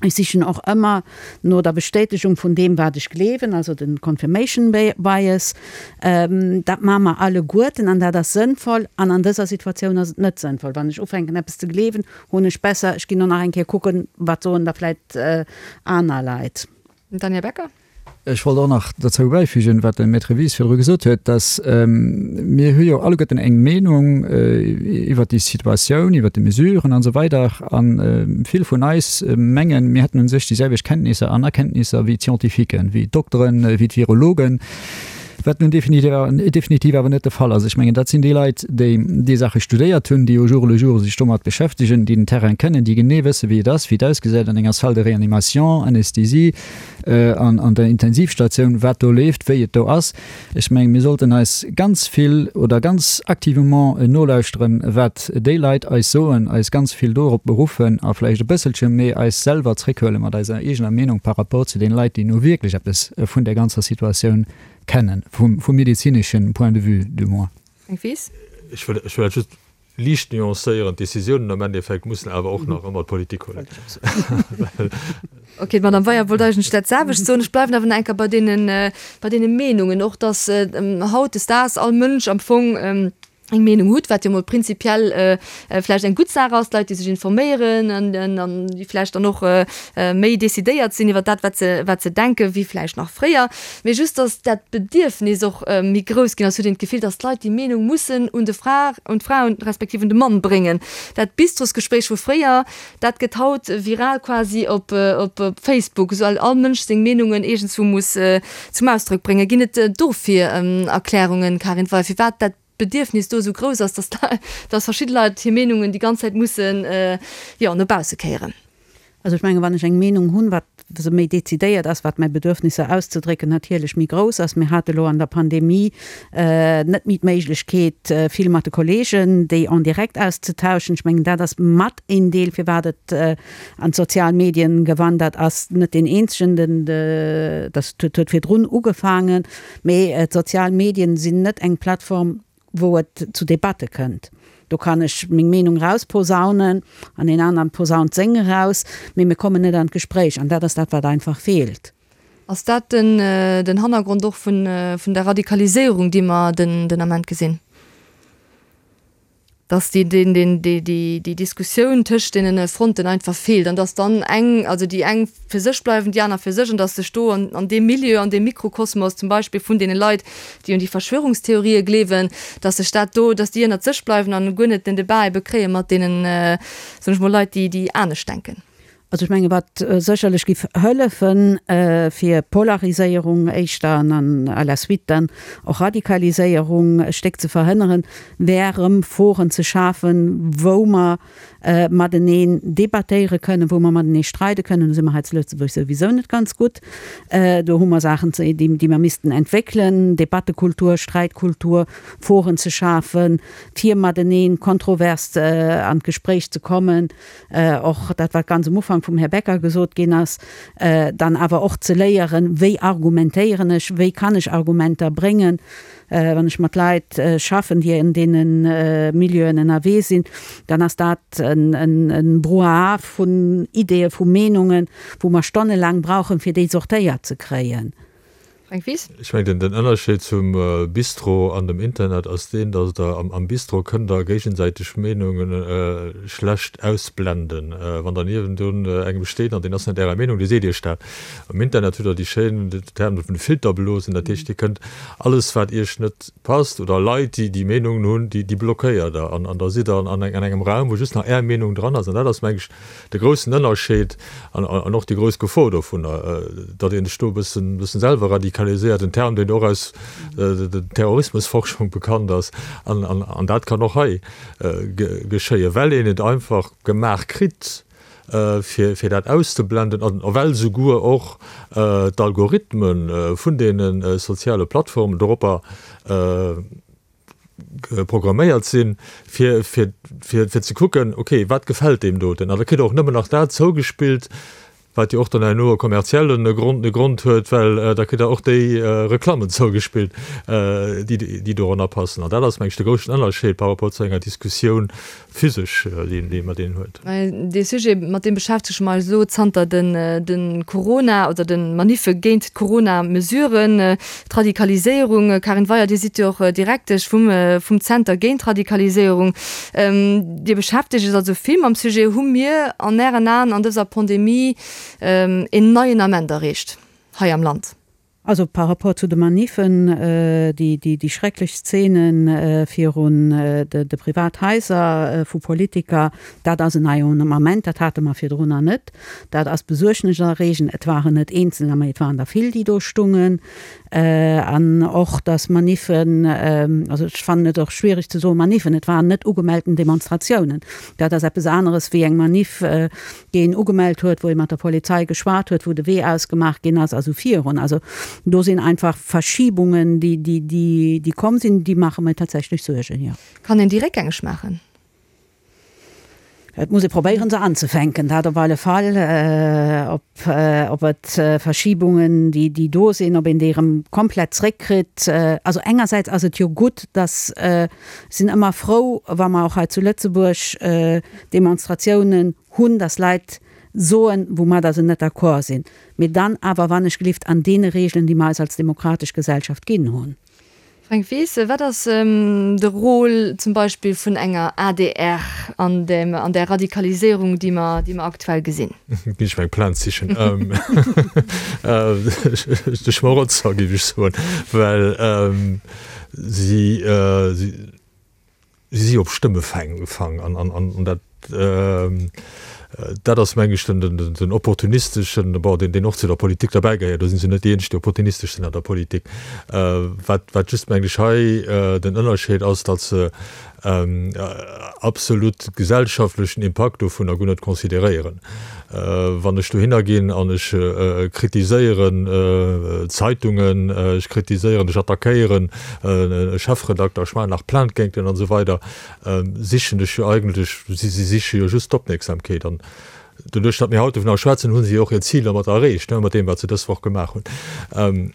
Ech sichen och ëmmer no der Bestätegung vun deem, wat ech gleewen, also de Confirmation Bias. Dat maache mer alleguerten an dat ass sënnvoll. An an dëser Situatioun ass et net sënnvoll. Wann ech ufänken eppes ze gleewen, hunn ech besser, ech ginn och nach eng Kéier kucken, wat soen da vläicht aner Leit. Daniel Becker. Ech wollt och nach derzou bäifügen, wat de Maître Wies virdru gesot huet, dass mir hu jo alleguerten eng Meenung iwwert déi Situatioun, iwwert déi Mesuren an esou weider. A vill vun eis mengen, mir hätten u sech déi selwecht Kenntnisser an Erkenntnisser wéi d'Scientifiquen, wéi d'Dokteren, wéi d'Virologen. Wat nun definitiv awer net de Fall ass. Ech mengen, dat sinn déi Leit, déi déi Saache studéiert hunn, déi au jour le jour sech domat beschäftegen, déi den Terrain kennen, déi genee wëssen, wéi et ass, wéi et ausgesäit an enger Salle de réanimation, Anesthésie, an an der Intensivstatioun, wat do leeft, wéi et do ass. Ech mengen, mir sollten eis ganz vill oder ganz activement nolauschteren, wat déi Leit eis soen, eis ganz vill dorop beruffen a vläicht e bësselche méi eis selwer zréckhuele mat eiser eegener Meenung par rapport zu deene Leit, déi nu wierklech eppes vun där ganzer Situatioun kennen, vum, vum medezineschen Point de vue du moins. Frank Wies. Ech wëll, ech wëll dat just liicht nuancéieren, D'Décisiounen am Endeffekt mussen awer och nach ëmmer d'Politik huelen. Ok, d'Madame Weyer wollt eigentlech dat selwecht soen. Ech bleiwen awer nach eng Kéier bei deenen, bei deene Meenungen och, dass hautdesdaags all Mënsch am Fong eng Meenung hutt, wat jo mol prinzipiell vläicht eng gutt Saach ass, Leit, déi sech informéieren an, an déi vläicht dann och méi decidéiert sinn iwwer dat, wat se, wat se denken, wéi vläicht nach fréier. Mee just, dass dat Bedierfnis och méi grouss ginn ass, huet een d'Gefill, dass d'Leit déi Meenung mussen un de Fra, un d'Fra respektiv un de Mann bréngen. Dat Bistrosgespréich vu fréier, dat gëtt haut viral quasi op op Facebook, esou all Mënsch seng Meenungen iergendswou muss zum Ausdrock bréngen. Ginn et dofir Erklärungen, Karin Weyer, firwat dat Bedierfnis do esou grouss ass, dass dass verschidde Leit hir Meenungen déi ganz Zäit mussen, jo, no bausse kéieren? Also ech menge wann ech eng Meenung hunn, wat se méi decidéiert ass, wat mäi Bedürfnisser auszedrécken natierlech méi grouss ass. Mir hate lo an der Pandemie net méi d'Méiglechkeet, vill mat de Kollegen déi en direct auszetauschen. Ech mengen dat ass mat een Deel firwat et an d'sozial Medien gewandert ass. Net deen eenzegen, den dat huet virdrun ugefaangen, mee d'sozial Medien sinn net eng Plattform, wou et zu Debatte kënnt. Do kann ech meng Meenung rausposaunen an deen aneren posaunt seng eraus, mee mir kommen net an d'Gespréich an dat ass dat, wat einfach feelt. Ass dat den den Hannergrond och vun vun der Radikaliséierung, déi mer den den Ament gesinn? Dass déi deen deen déi déi déi Diskussioun tëscht deenen Fronten einfach feelt an dass dann eng, also déi eng fir sech bleiwen, déi aner fir sech an dass sech do an an deem Milieu, an deem Mikrokosmos zum Beispill vun deene Leit, déi un déi Verschwörungstheorië gleewen, dass sech dat do, dass déi ënnert sech bleiwen an guer net den Debat ebe kréie mat deenen, soen ech mol, Leit, déi déi anescht denken. Also ech menge wat sécherlech giff hëllefen, fir Polariséierung éischter an an à la suite dann och Radikaliséierung e Stéck ze verhënneren, wär erëm Foren ze schafen, wou mer mateneen debattéiere kënnen, wou mer matenee streide kënnen. Do si mer hei zu Lëtzebuerg souwisou net ganz gutt. Do hu mer Saachen, déi mer missten entwéckelen, Debattekultur, Sträitkultur, Foren ze schafen, fir matenee kontrovers an d'Gespréich ze kommen. Och dat, wat ganz am Ufank vum Här Becker gesot ginn ass, dann awer och ze léieren, wéi argumentéieren ech, wéi kann ech Argumenter bréngen, wann ech mat Leit schaffen, déi an deene Milieuen ënnerwee sinn, dann ass dat e Brouhaha vun Ideeë, vu Meenungen, wou mer stonnelaang brauchen, fir déi sortéiert ze kréien. Fränk Wies. Ech mengen, den Ënnerscheed zum Bistro an dem Internet ass deen, datt Der am Bistro kënnt Der géigesäiteg Meenunge schlecht ausblenden. Wann Der niewendrun engem steet an deen ass net Ärer Meenung, dee seet Iech dat. Am Internet hutt Der déi schéin Terme vun de Filterblosen, dat heescht, Dir kënnt alles, wat Iech net passt oder Leit, déi déi Meenungen hunn, déi blockéiert Der an da sidd Der an engem Raum, wou just nach Är Meenung dran ass. An dat ass, meng ech, de groussen Ënnerscheed an och déi grouss Gefor dovunner, datt ee sech do e bëssen selwer radikaliséiert, en Term, deen och aus der Terrorismusforschung bekannt ass. An dat kann och hei geschéien, well een et einfach gemaach kritt, fir dat auszeblenden, a well souguer och d'Algorithme vun deene soziale Plattformen doropper programméiert sinn, fir fir ze kucken, okay, wat gefält deem doten? An da kritt Der och nëmmen nach dat zougespillt, wat jo och dann herno e kommerzielle Grond e Grond huet, well da kritt Der och déi Reklammen zougespillt, déi déi doranner passen. An dat ass, meng ech, de groussen Ënnerscheed par rapport zu enger Diskussioun physesch, déi een mat deenen huet. Dee Sujet, mat deem beschäftege mer eis elo zanter de Corona oder de Maniffe géint d'Corona-Mesuren, d'Radikaliséierung. Karin Weyer, Dir sidd jo och Direktesch vum vum Zenter géint d'Radikaliséierung. Dir beschäftegt Iech also vill mam Sujet. Hu mir an Ären Aen an dëser Pandemie een neien Ament erreecht hei am Land? Also par rapport zu de Maniffen, déi, déi schrecklech Szenen virun de Privathaiser vu Politiker, dat ass en neien Ament, dat hate mer virdrunner net. Dat ass besuergneserreegend. Et waren net Eenzelner, mä et waren der vill, déi do stungen. An och, dass Maniffen, also ech fannen et och schwierig ze soen Maniffen, et waren net ugemellten Demonstratiounen. Dat ass eppes aneres wéi eng Maniff, déi een ugemellt huet, wou ee mat der Polizei geschwat huet, wou de Wee ausgemaach ginn ass a sou virun. Also do sinn einfach Verschibungen, déi, déi, déi, déi komm sinn, déi maache mir tatsächlech Suergen, jo. Kann een déi réckgängeg maachen? Et muss ee probéieren, se anzefänken, dat op alle Fall. Ob, ob et Verschibungen, déi, déi do sinn, ob een déi erëm komplett zréckkritt. Also engersäits ass et jo gutt, dass, ech sinn ëmmer frou, wa mer och hei zu Lëtzebuerg Demonstratiounen hunn, dass Leit soen, woumadder se net d'accord sinn, mee dann awer wannechgelift an deene Regeln, déi mer eis als demokratesch Gesellschaft ginn hunn. Fränk Wies, Wat ass de Rôle zum Beispill vun enger adr an dem, an där Radikaliséierung, déi mer, déi mer aktuell gesinn? Ginn ech mer eng Plainte sichen. De Schmarotzer, géif ech soen, well si, si, Si si op Stëmmefang an dat dat ass meng ech den den opportunisteschen, bon deen deen och zu der Politik derbäi gehéiert, do si se net déi eenzeg déi opportunistesch sinn an der Politik. Wat wat just meng ech hei den Ënnerscheed ass, datt se absolut gesellschaftlechen Impakt dovunner guer net consideréieren. Wann ech dohinner ginn an ech kritiséieren Zeitungen, ech kritiséieren, ech attackéieren e Chefredakter, ech maachen nach Plainte géint en an esou weider, sichen ech jo eigentlech, si siche jo just d'Opmierksamkeet. An doduerch, datt mir haut dovunner schwätzen, hu si jo och hiert Zil domat erreecht, mat deem, wat se dës Woch gemaach hunn.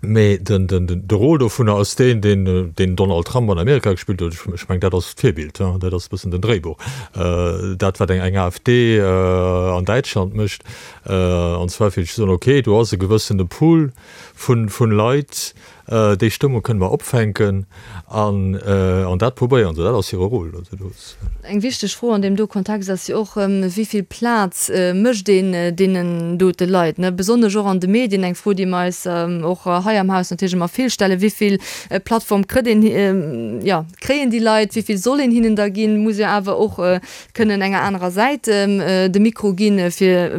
Mee de Rôle dovunner ass deen, deen den Donald Trump an Amerika gespillt huet. Ech mengen, dat ass d'Virbild, dat ass e bëssen den Dréibuch. Dat, wat eng AfD an Däitschland mécht, an zwar fir ze soen, okay, do ass e gewëssene Pool vu Leit, déi Stëmmung kënne mer opfänken an dat probéieren se. Dat ass hire Rôle. Eng wichteg Fro an deem do Kontext ass jo och, wéi vill Plaz mécht een deenen dote Leit, ne? Besonnesch och an de Medien, eng Fro, déi mer eis och hei am Haus natierlech ëmmer vill stellen, Wéi vill Plattform kritt een, jo, kréien déi Leit, wéi vill soll een hinnen da ginn? Muss jo awer och kënnen enger anerer Säit de Mikro ginn, fir,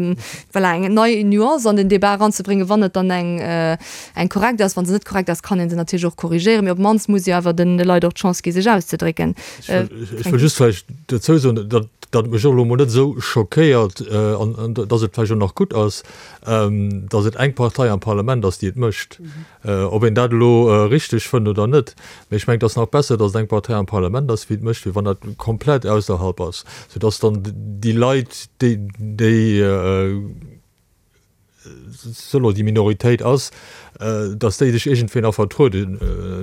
voilà, eng nei Nuance an den Debat eranzebréngen, wann et dann eng eng korrekt ass. Wa se net korrekt ass, kann ee se natierlech och korrigéieren, mee op d'mannst muss jo awer de Leit och d'Chance gi sech auszedrécken. Ech wëll just vläicht dozou soen, datt et mech och elo emol net esou schockéiert an datt et vläicht och nach gutt ass, datt et eng Partei am Parlament ass, déi et mécht. Ob een dat elo richteg fënnt oder net, mee ech mengen, et ass nach besser, datt et eng Partei am Parlament ass, wéi et mécht, wéi wann dat komplett ausserhalb ass, soudatt dann déi Leit, déi solo déi Minoritéit ass, datt déi sech iergendwéi nach vertrueden,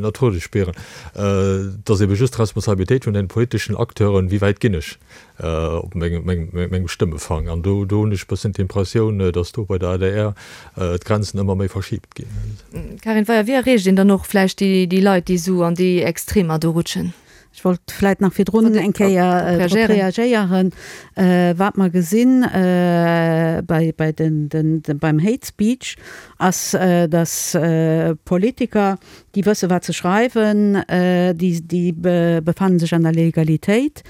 vertruede spieren. Et ass ebe just d'Responsabilitéit vun den politeschen Acteuren, wéi wäit ginn ech op mengem, mengem Stëmmefang. An do, do hunn ech e bëssen d'Impressioun, datt do bei der adr d'Grenzen ëmmer méi verschibt ginn. Karin Weyer, wéi erreecht een dann och vläicht déi, déi Leit, déi esou an déi Extremer do rutschen? Ech wollt vläit nach virdrun eng Kéier drop reagéieren, wat mer gesinn bei, bei den, den, beim Hate Speech, ass, dass Politiker, déi wësse wat se schreiwen, déi, déi befannen sech an der Legalitéit,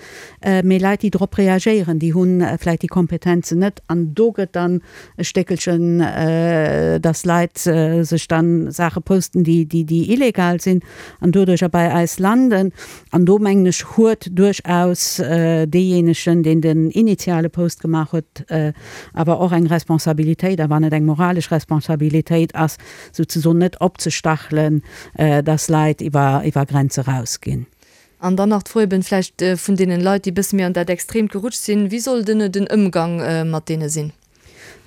mee Leit, déi drop reagéieren, déi hu vläit déi Kompetenzen net. An do gëtt dann e Stéckelchen, dass Leit sech dann Saache posten, déi, déi, déi illegal sinn an doduercher bei eis landen. An do, mengen ech, huet duerchaus deejéinegen, deen den initiale Post gemaach huet, awer och eng Responsabilitéit, a wann et eng moralesch Responsabilitéit ass, souzesoen net opzestachelen, dass Leit iwwer iwwer Grenze rausginn. An dann nach d'Fro eben vläicht vun deenen Leit, déi e bësse méi an dat Extreemt gerutscht sinn, Wéi soll den den Ëmgang mat deene sinn?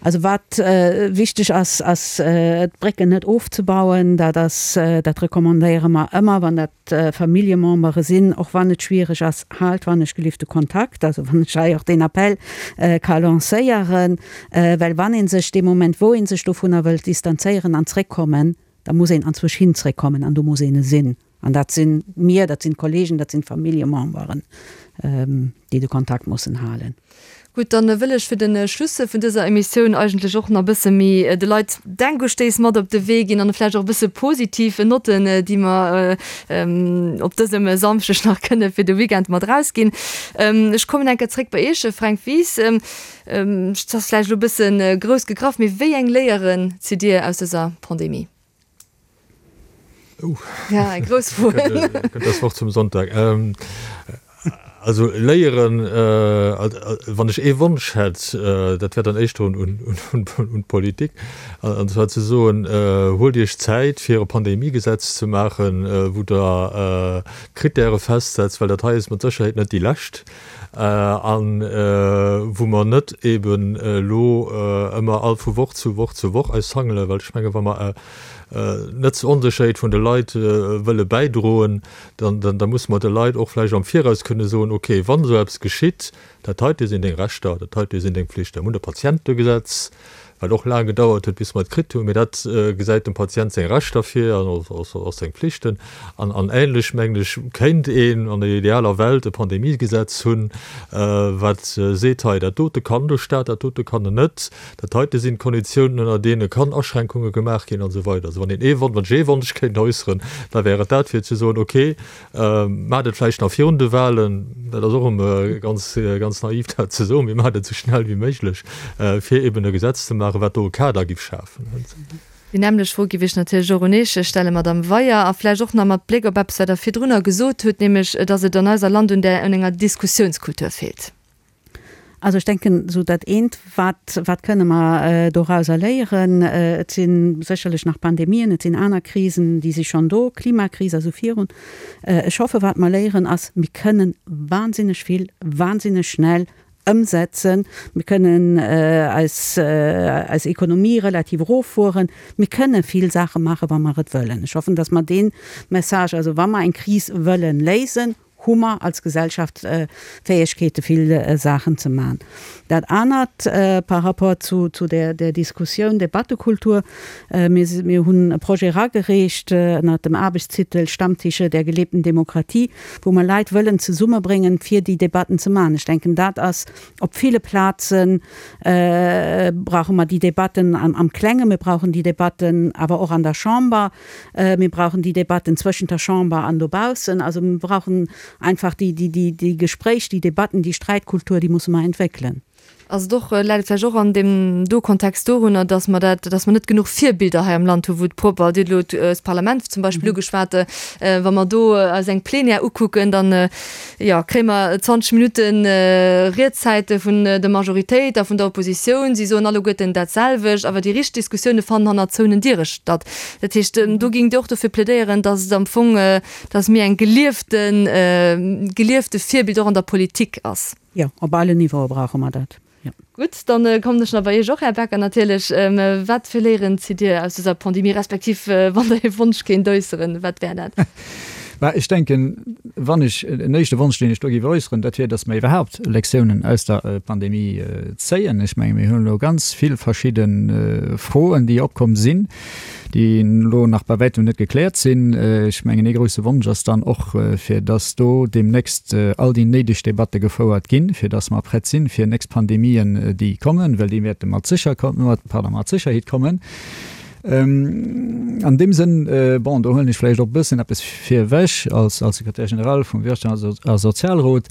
Also wat wichteg ass, ass d'Brécken net ofzebauen. Dat ass, dat recommandéiere mer ëmmer, wann dat Familljemembere sinn, och wann et schwiereg ass, haalt wann ech gelift de Kontakt, also wann ech hei och deen Appell ka lancéieren, well wann ee sech dee Moment, wou ee sech dovunner wëllt distanzéieren an zréckkommen, da muss een anzwousch hin zréckkommen an do muss een e sinn. An dat si mir, dat sinn d'Kollegen, dat sinn d'Familljememberen, déi de Kontakt mussen halen. Gutt, dann wëll ech fir de Schluss vun dëser Emissioun eigentlech och nach e bësse méi de Leit Denkustéiss mat op de Wee ginn an vläicht och e bësse positiv Notten, déi mer op dësem Samschdeg nach kënne fir de Weekend mat erausginn. Ech kommen eng Kéier zréck bei Iech, Fränk Wies. Et ass vläicht elo e bësse grouss gegraff, mee wéi eng Léieren zitt Dir aus dëser Pandemie? Oh. Ja, eng grouss Fro. Kënnt das Wort zum Sonntag. Also léieren, wann ech ee Wonsch hätt, dat wär dann éischter un d'Politik, an zwar ze soen, Huelt Iech Zäit, fir e Pandemiegesetz ze maachen, wou Der Krittäre festsetzt, well dat hei ass mat Sécherheet net déi lescht, a wou mer net eeben elo ëmmer all vu Woch zu Woch zu Woch eis hangelen, well ech menge wa mer net zur Onsécherheet vun de Leit wëlle bäidroen, dann, da musse mer de Leit och vläicht am Viraus kënne soen, okay, wann esou eppes geschitt, dat heite sinn deng Rechter, dat heite sinn deng Pflichten. Mir hunn e Patientegesetz, wat och laang gedauert huet, bis mer et kritt hunn, mee dat gesäit dem Patient seng Rechter vir an och seng Pflichten. An, an ähnlech, mengen ech, kéint een an der idealer Welt e Pandemiegesetz hunn, wat seet, hei, dat dote kann de Stat, dat dote kann en net, Dat heite sinn d'Konditiounen, ënner deene kann Aschränkunge gemaach ginn an esou weider. Also wann een ee Wonsch, wann ech ee Wonsch kéint äusseren, da wär et dat, fir ze soen, okay, maacht et vläicht nach virun de Wahlen, dat ass och erëm ganz, ganz naiv dat ze soen, mee maacht et esou schnell wéi méiglech, fir eben e Gesetz ze maachen, wat do e Kader giff schafen. Déi nämmlecht Fro giff ech natierlech och un Iech stellen, Madamm Weyer, a vläicht och nach mat Bléck op eppes, wat Der virdrunner gesot hutt, nämlech dass et an eiser Land un där, un enger Diskussiounskultur feelt. Also ech denken, esou dat eent, wat, wat kënne mer dorauser léieren, et si sécherlech nach Pandemien, et sinn aner Krisen, déi si schonn do, Klimakris a sou virun. Ech hoffe wat mer léieren ass, mir kënnen wahnsinneg vill wahnsinneg schnell ëmsetzen, mir kënnen eis, eis Ekonomie relativ eroffueren, mir kënne vill Saache maachen, wa mer et wëllen. Ech hoffen, datt mer dee Message, also wa mer eng Kris wëllen léisen, hu mer als Gesellschaft Fäegkeete vill Saachen ze man. Dat anert par rapport zu zu der der Diskussioun, Debattekultur, mir mir hunn e Projet eragereecht ënnert dem Aarbechtstitel Stammtische der gelebten Demokratie, wou mer Leit wëllen zesummebréngen, fir déi Debatten ze man. Ech denken, dat ass op ville Plaze brauche mer déi Debatten am am Klengen, mir brauchen déi Debatten awer och an der Chamber, mir brauchen déi Debatten zwëschent der Chamber an dobaussen. Also mir brauchen einfach déi, déi, déi, déi Gespréich, déi Debatten, déi Sträitkultur, déi musse mer entwéckelen. Ass et och, läit et vläicht och an deem do Kontext dorunner, dass mer dat, dass mer net genuch Virbilder hei am Land hu wou et propper, Dir hutt elo d'Parlament zum Beispill ugeschwat, wa mer do eis eng Plenière ukucken, dann, jo, kréie mer zwanzeg Minutte Riedzäite vun der Majoritéit a vun der Oppositioun. Si soen alleguerten dat selwecht, awer déi richteg Diskussioune fannen hannert zouenen Diere statt. Dat heescht, do géingt Dir och dofir plädéieren, dass et am Fong, dass méi eng gelieften, geliefte Virbild och an der Politik ass? Jo, op alle Niveaue brauche mer dat, jo. Gutt, dann kommen ech nach bei Iech och, Här Becker, natierlech. Wat fir Léieren zitt Dir aus dëser Pandemie, respektiv wann Der ee Wonsch kéint äusseren, wat wär dat? Mä ech denken, wann ech en éischte Wonsch, deen ech do géif äusseren, dat wier, datt mer iwwerhaupt Lektiounen aus der Pandemie zéien. Ech menge mir hunn elo ganz vill verschidde Froen, déi opkomm sinn, déi elo nach bei wäitem net gekläert sinn. Ech mengen, ee grouse Wonsch ass dann och, fir datt do deemnächst all déi néideg Debatte gefouert ginn, fir datt mer prett sinn fir nächst Pandemien, déi kommen, well déi wäerte mat sécher, pardon, mat Sécherheet kommen. An deem Sënn, bon, do huelen ech vläicht och e bëssen eppes virewech als Secrétaire général vum Wirtschafts a Sozialrot,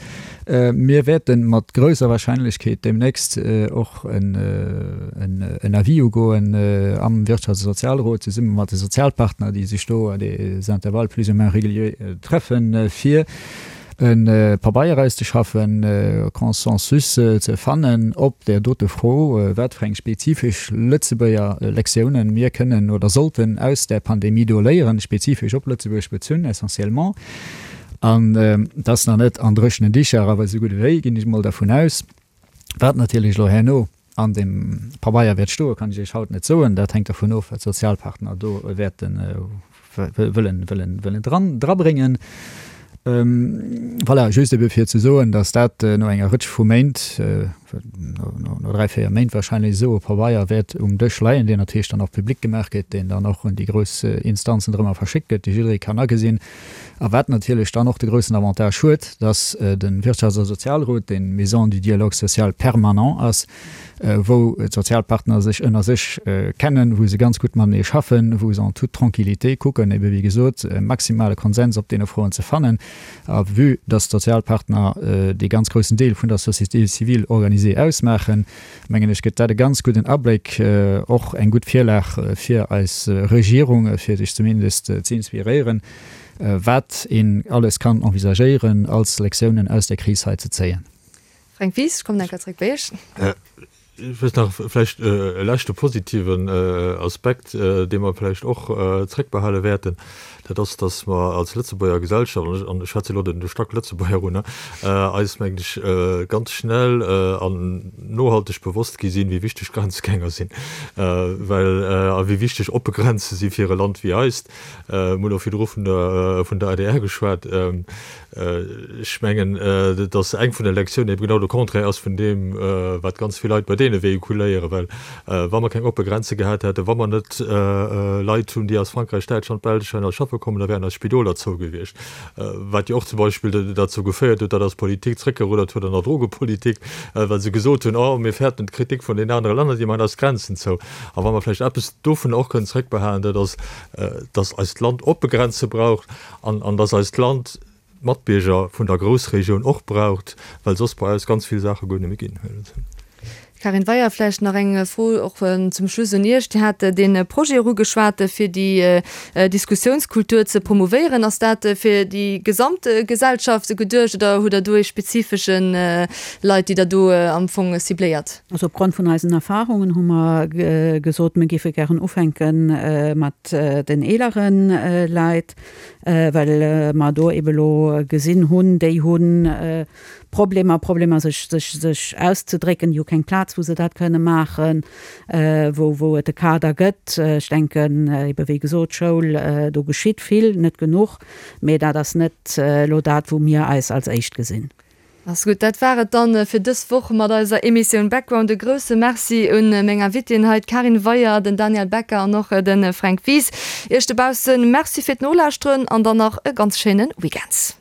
Mir wäerte mat grousser Wahrscheinlechkeet deemnächst och en Avis ugoen am Wirtschafts a Sozialrot zesumme mat de Sozialpartner, déi sech do à des intervalles plus ou moins réguliers treffen, fir e Pabeier auszeschaffen, e Consensus ze fannen op där dote Fro, wat fir eng spezifesch Lëtzebuerger Lektiounen mir kënnen oder sollten aus där Pandemie do léieren, spezifesch op Lëtzebuerg bezunn essentiellement. An dat ass nach net an dréchenen Dicher, awer esou gutt ewéi, ginn ech emol dervun aus. Wat natierlech elo herno an deem Pabeier wäert stoen, kann ech Iech haut net soen. Dat hänkt dervun of, wat d'Sozialpartner do wäerte wëllen, wëllen, wëllen dran, drabréngen. Voilà, just ebe fir ze soen, datt dat no enger Rëtsch vu Méint, no dräi, véier Méint wahrscheinlech esou e Pabeier wäert um Dësch leien, deen natierlech dann och public gemaach gëtt, deen dann och un déi grouss Instanzen drëmmer verschéckt gëtt, déi jidderee kann agesinn. A wat natierlech dann och de groussen Avantage huet, datt de Wirtschafts a Sozialrot, deen Maison du dialogue social permanent ass, wou d'Sozialpartner sech ënner sech kennen, wou se ganz gutt matenee schaffen, wou se en toute tranquillité kucken, ebe wéi gesot, e maximale Konsens op deene Froen ze fannen. A vue dass d'Sozialpartner dee ganz groussen Deel vun der Société civile organisée ausmaachen, mengen ech, gëtt dat e ganz gudden Abléck, och eng gutt Virlag fir eis Regierung, fir sech zumindest ze inspiréieren, wat een alles kann envisagéieren als Lektiounen aus der Kris hei ze zéien. Fränk Wies, ech kommen eng Kéier zréck bei Iech. Ech wëllt nach vläicht e leschte positiven Aspekt, dee mer vläicht och zréckbehale wäerten, dat ass, dass mer als Lëtzebuerger Gesellschaft, an ech schwätze elo den Stack Lëtzebuerger un, eis, mengen ech, ganz schnell an nohalteg bewosst gi sinn, wéi wichteg Grenzgänger sinn, well a wéi wichteg oppe Grenze si fir e Land wéi eist. Mir hunn och virdru vun der vun der adr geschwat. Ech mengen, dass eng vun de Lektiounen eben genau de Contraire ass vun deem, wat ganz vill Leit bei deene véhiculéieren. Well wa mer keng oppe Grenze gehat hätten, wa mer net Leit hunn, déi aus Frankräich, Däitschland, Belsch hei schaffe kommen, da wären eis Spidoler zou gewiescht. Wat jo och zum Beispill derzou geféiert huet, datt eis Politik zréckgeruddert huet an der Drogepolitik, well se gesot hunn, Oh, mir fäerten d'Kritik vun den anere Länner, déi maachen eis d'Grenzen zou. A wa mer vläicht eppes dovun och kënnen zréckbehalen, dat ass, dass eist Land oppe Grenze braucht an, an dass eist Land d'Matbierger vun der Groussregioun och braucht, well soss bei eis ganz vill Saache guer net méi ginn. Karin Weyer, vläicht nach eng Fro och zum Schluss un Iech. Dir hat dee Projet och ugeschwat, fir déi Diskussiounskultur ze promouvéieren. Ass dat fir déi gesamt Gesellschaft geduecht oder hutt Der do ee spezifesche Leit, déi Der do am Fong cibléiert? Also opgrond vun eisen Erfahrungen hu mer gesot, mir géife gären ufänke mat den eelere Leit, well mer do ebe lo gesinn hunn, déi hu Problemer, Problemer sech, sech, sech auszedrécken, déi hu keng Plaz, wou se dat kënne maachen, wou, wou et e Kader gëtt. Ech denken ebe wéi gesot, Schoul, do geschitt vill, net genuch, mee dat ass net elo dat, wou mir eis als éischt gesinn. Ass gutt, dat war et dann fir dës Woch mat eiser Emissioun Background. E grousse Merci un meng Invitéen hei, d'Karin Weyer, den Daniel Becker an och de Fränk Wies. Iech dobaussen Merci fir d'Nolauschteren an dann nach e ganz schéine Weekend.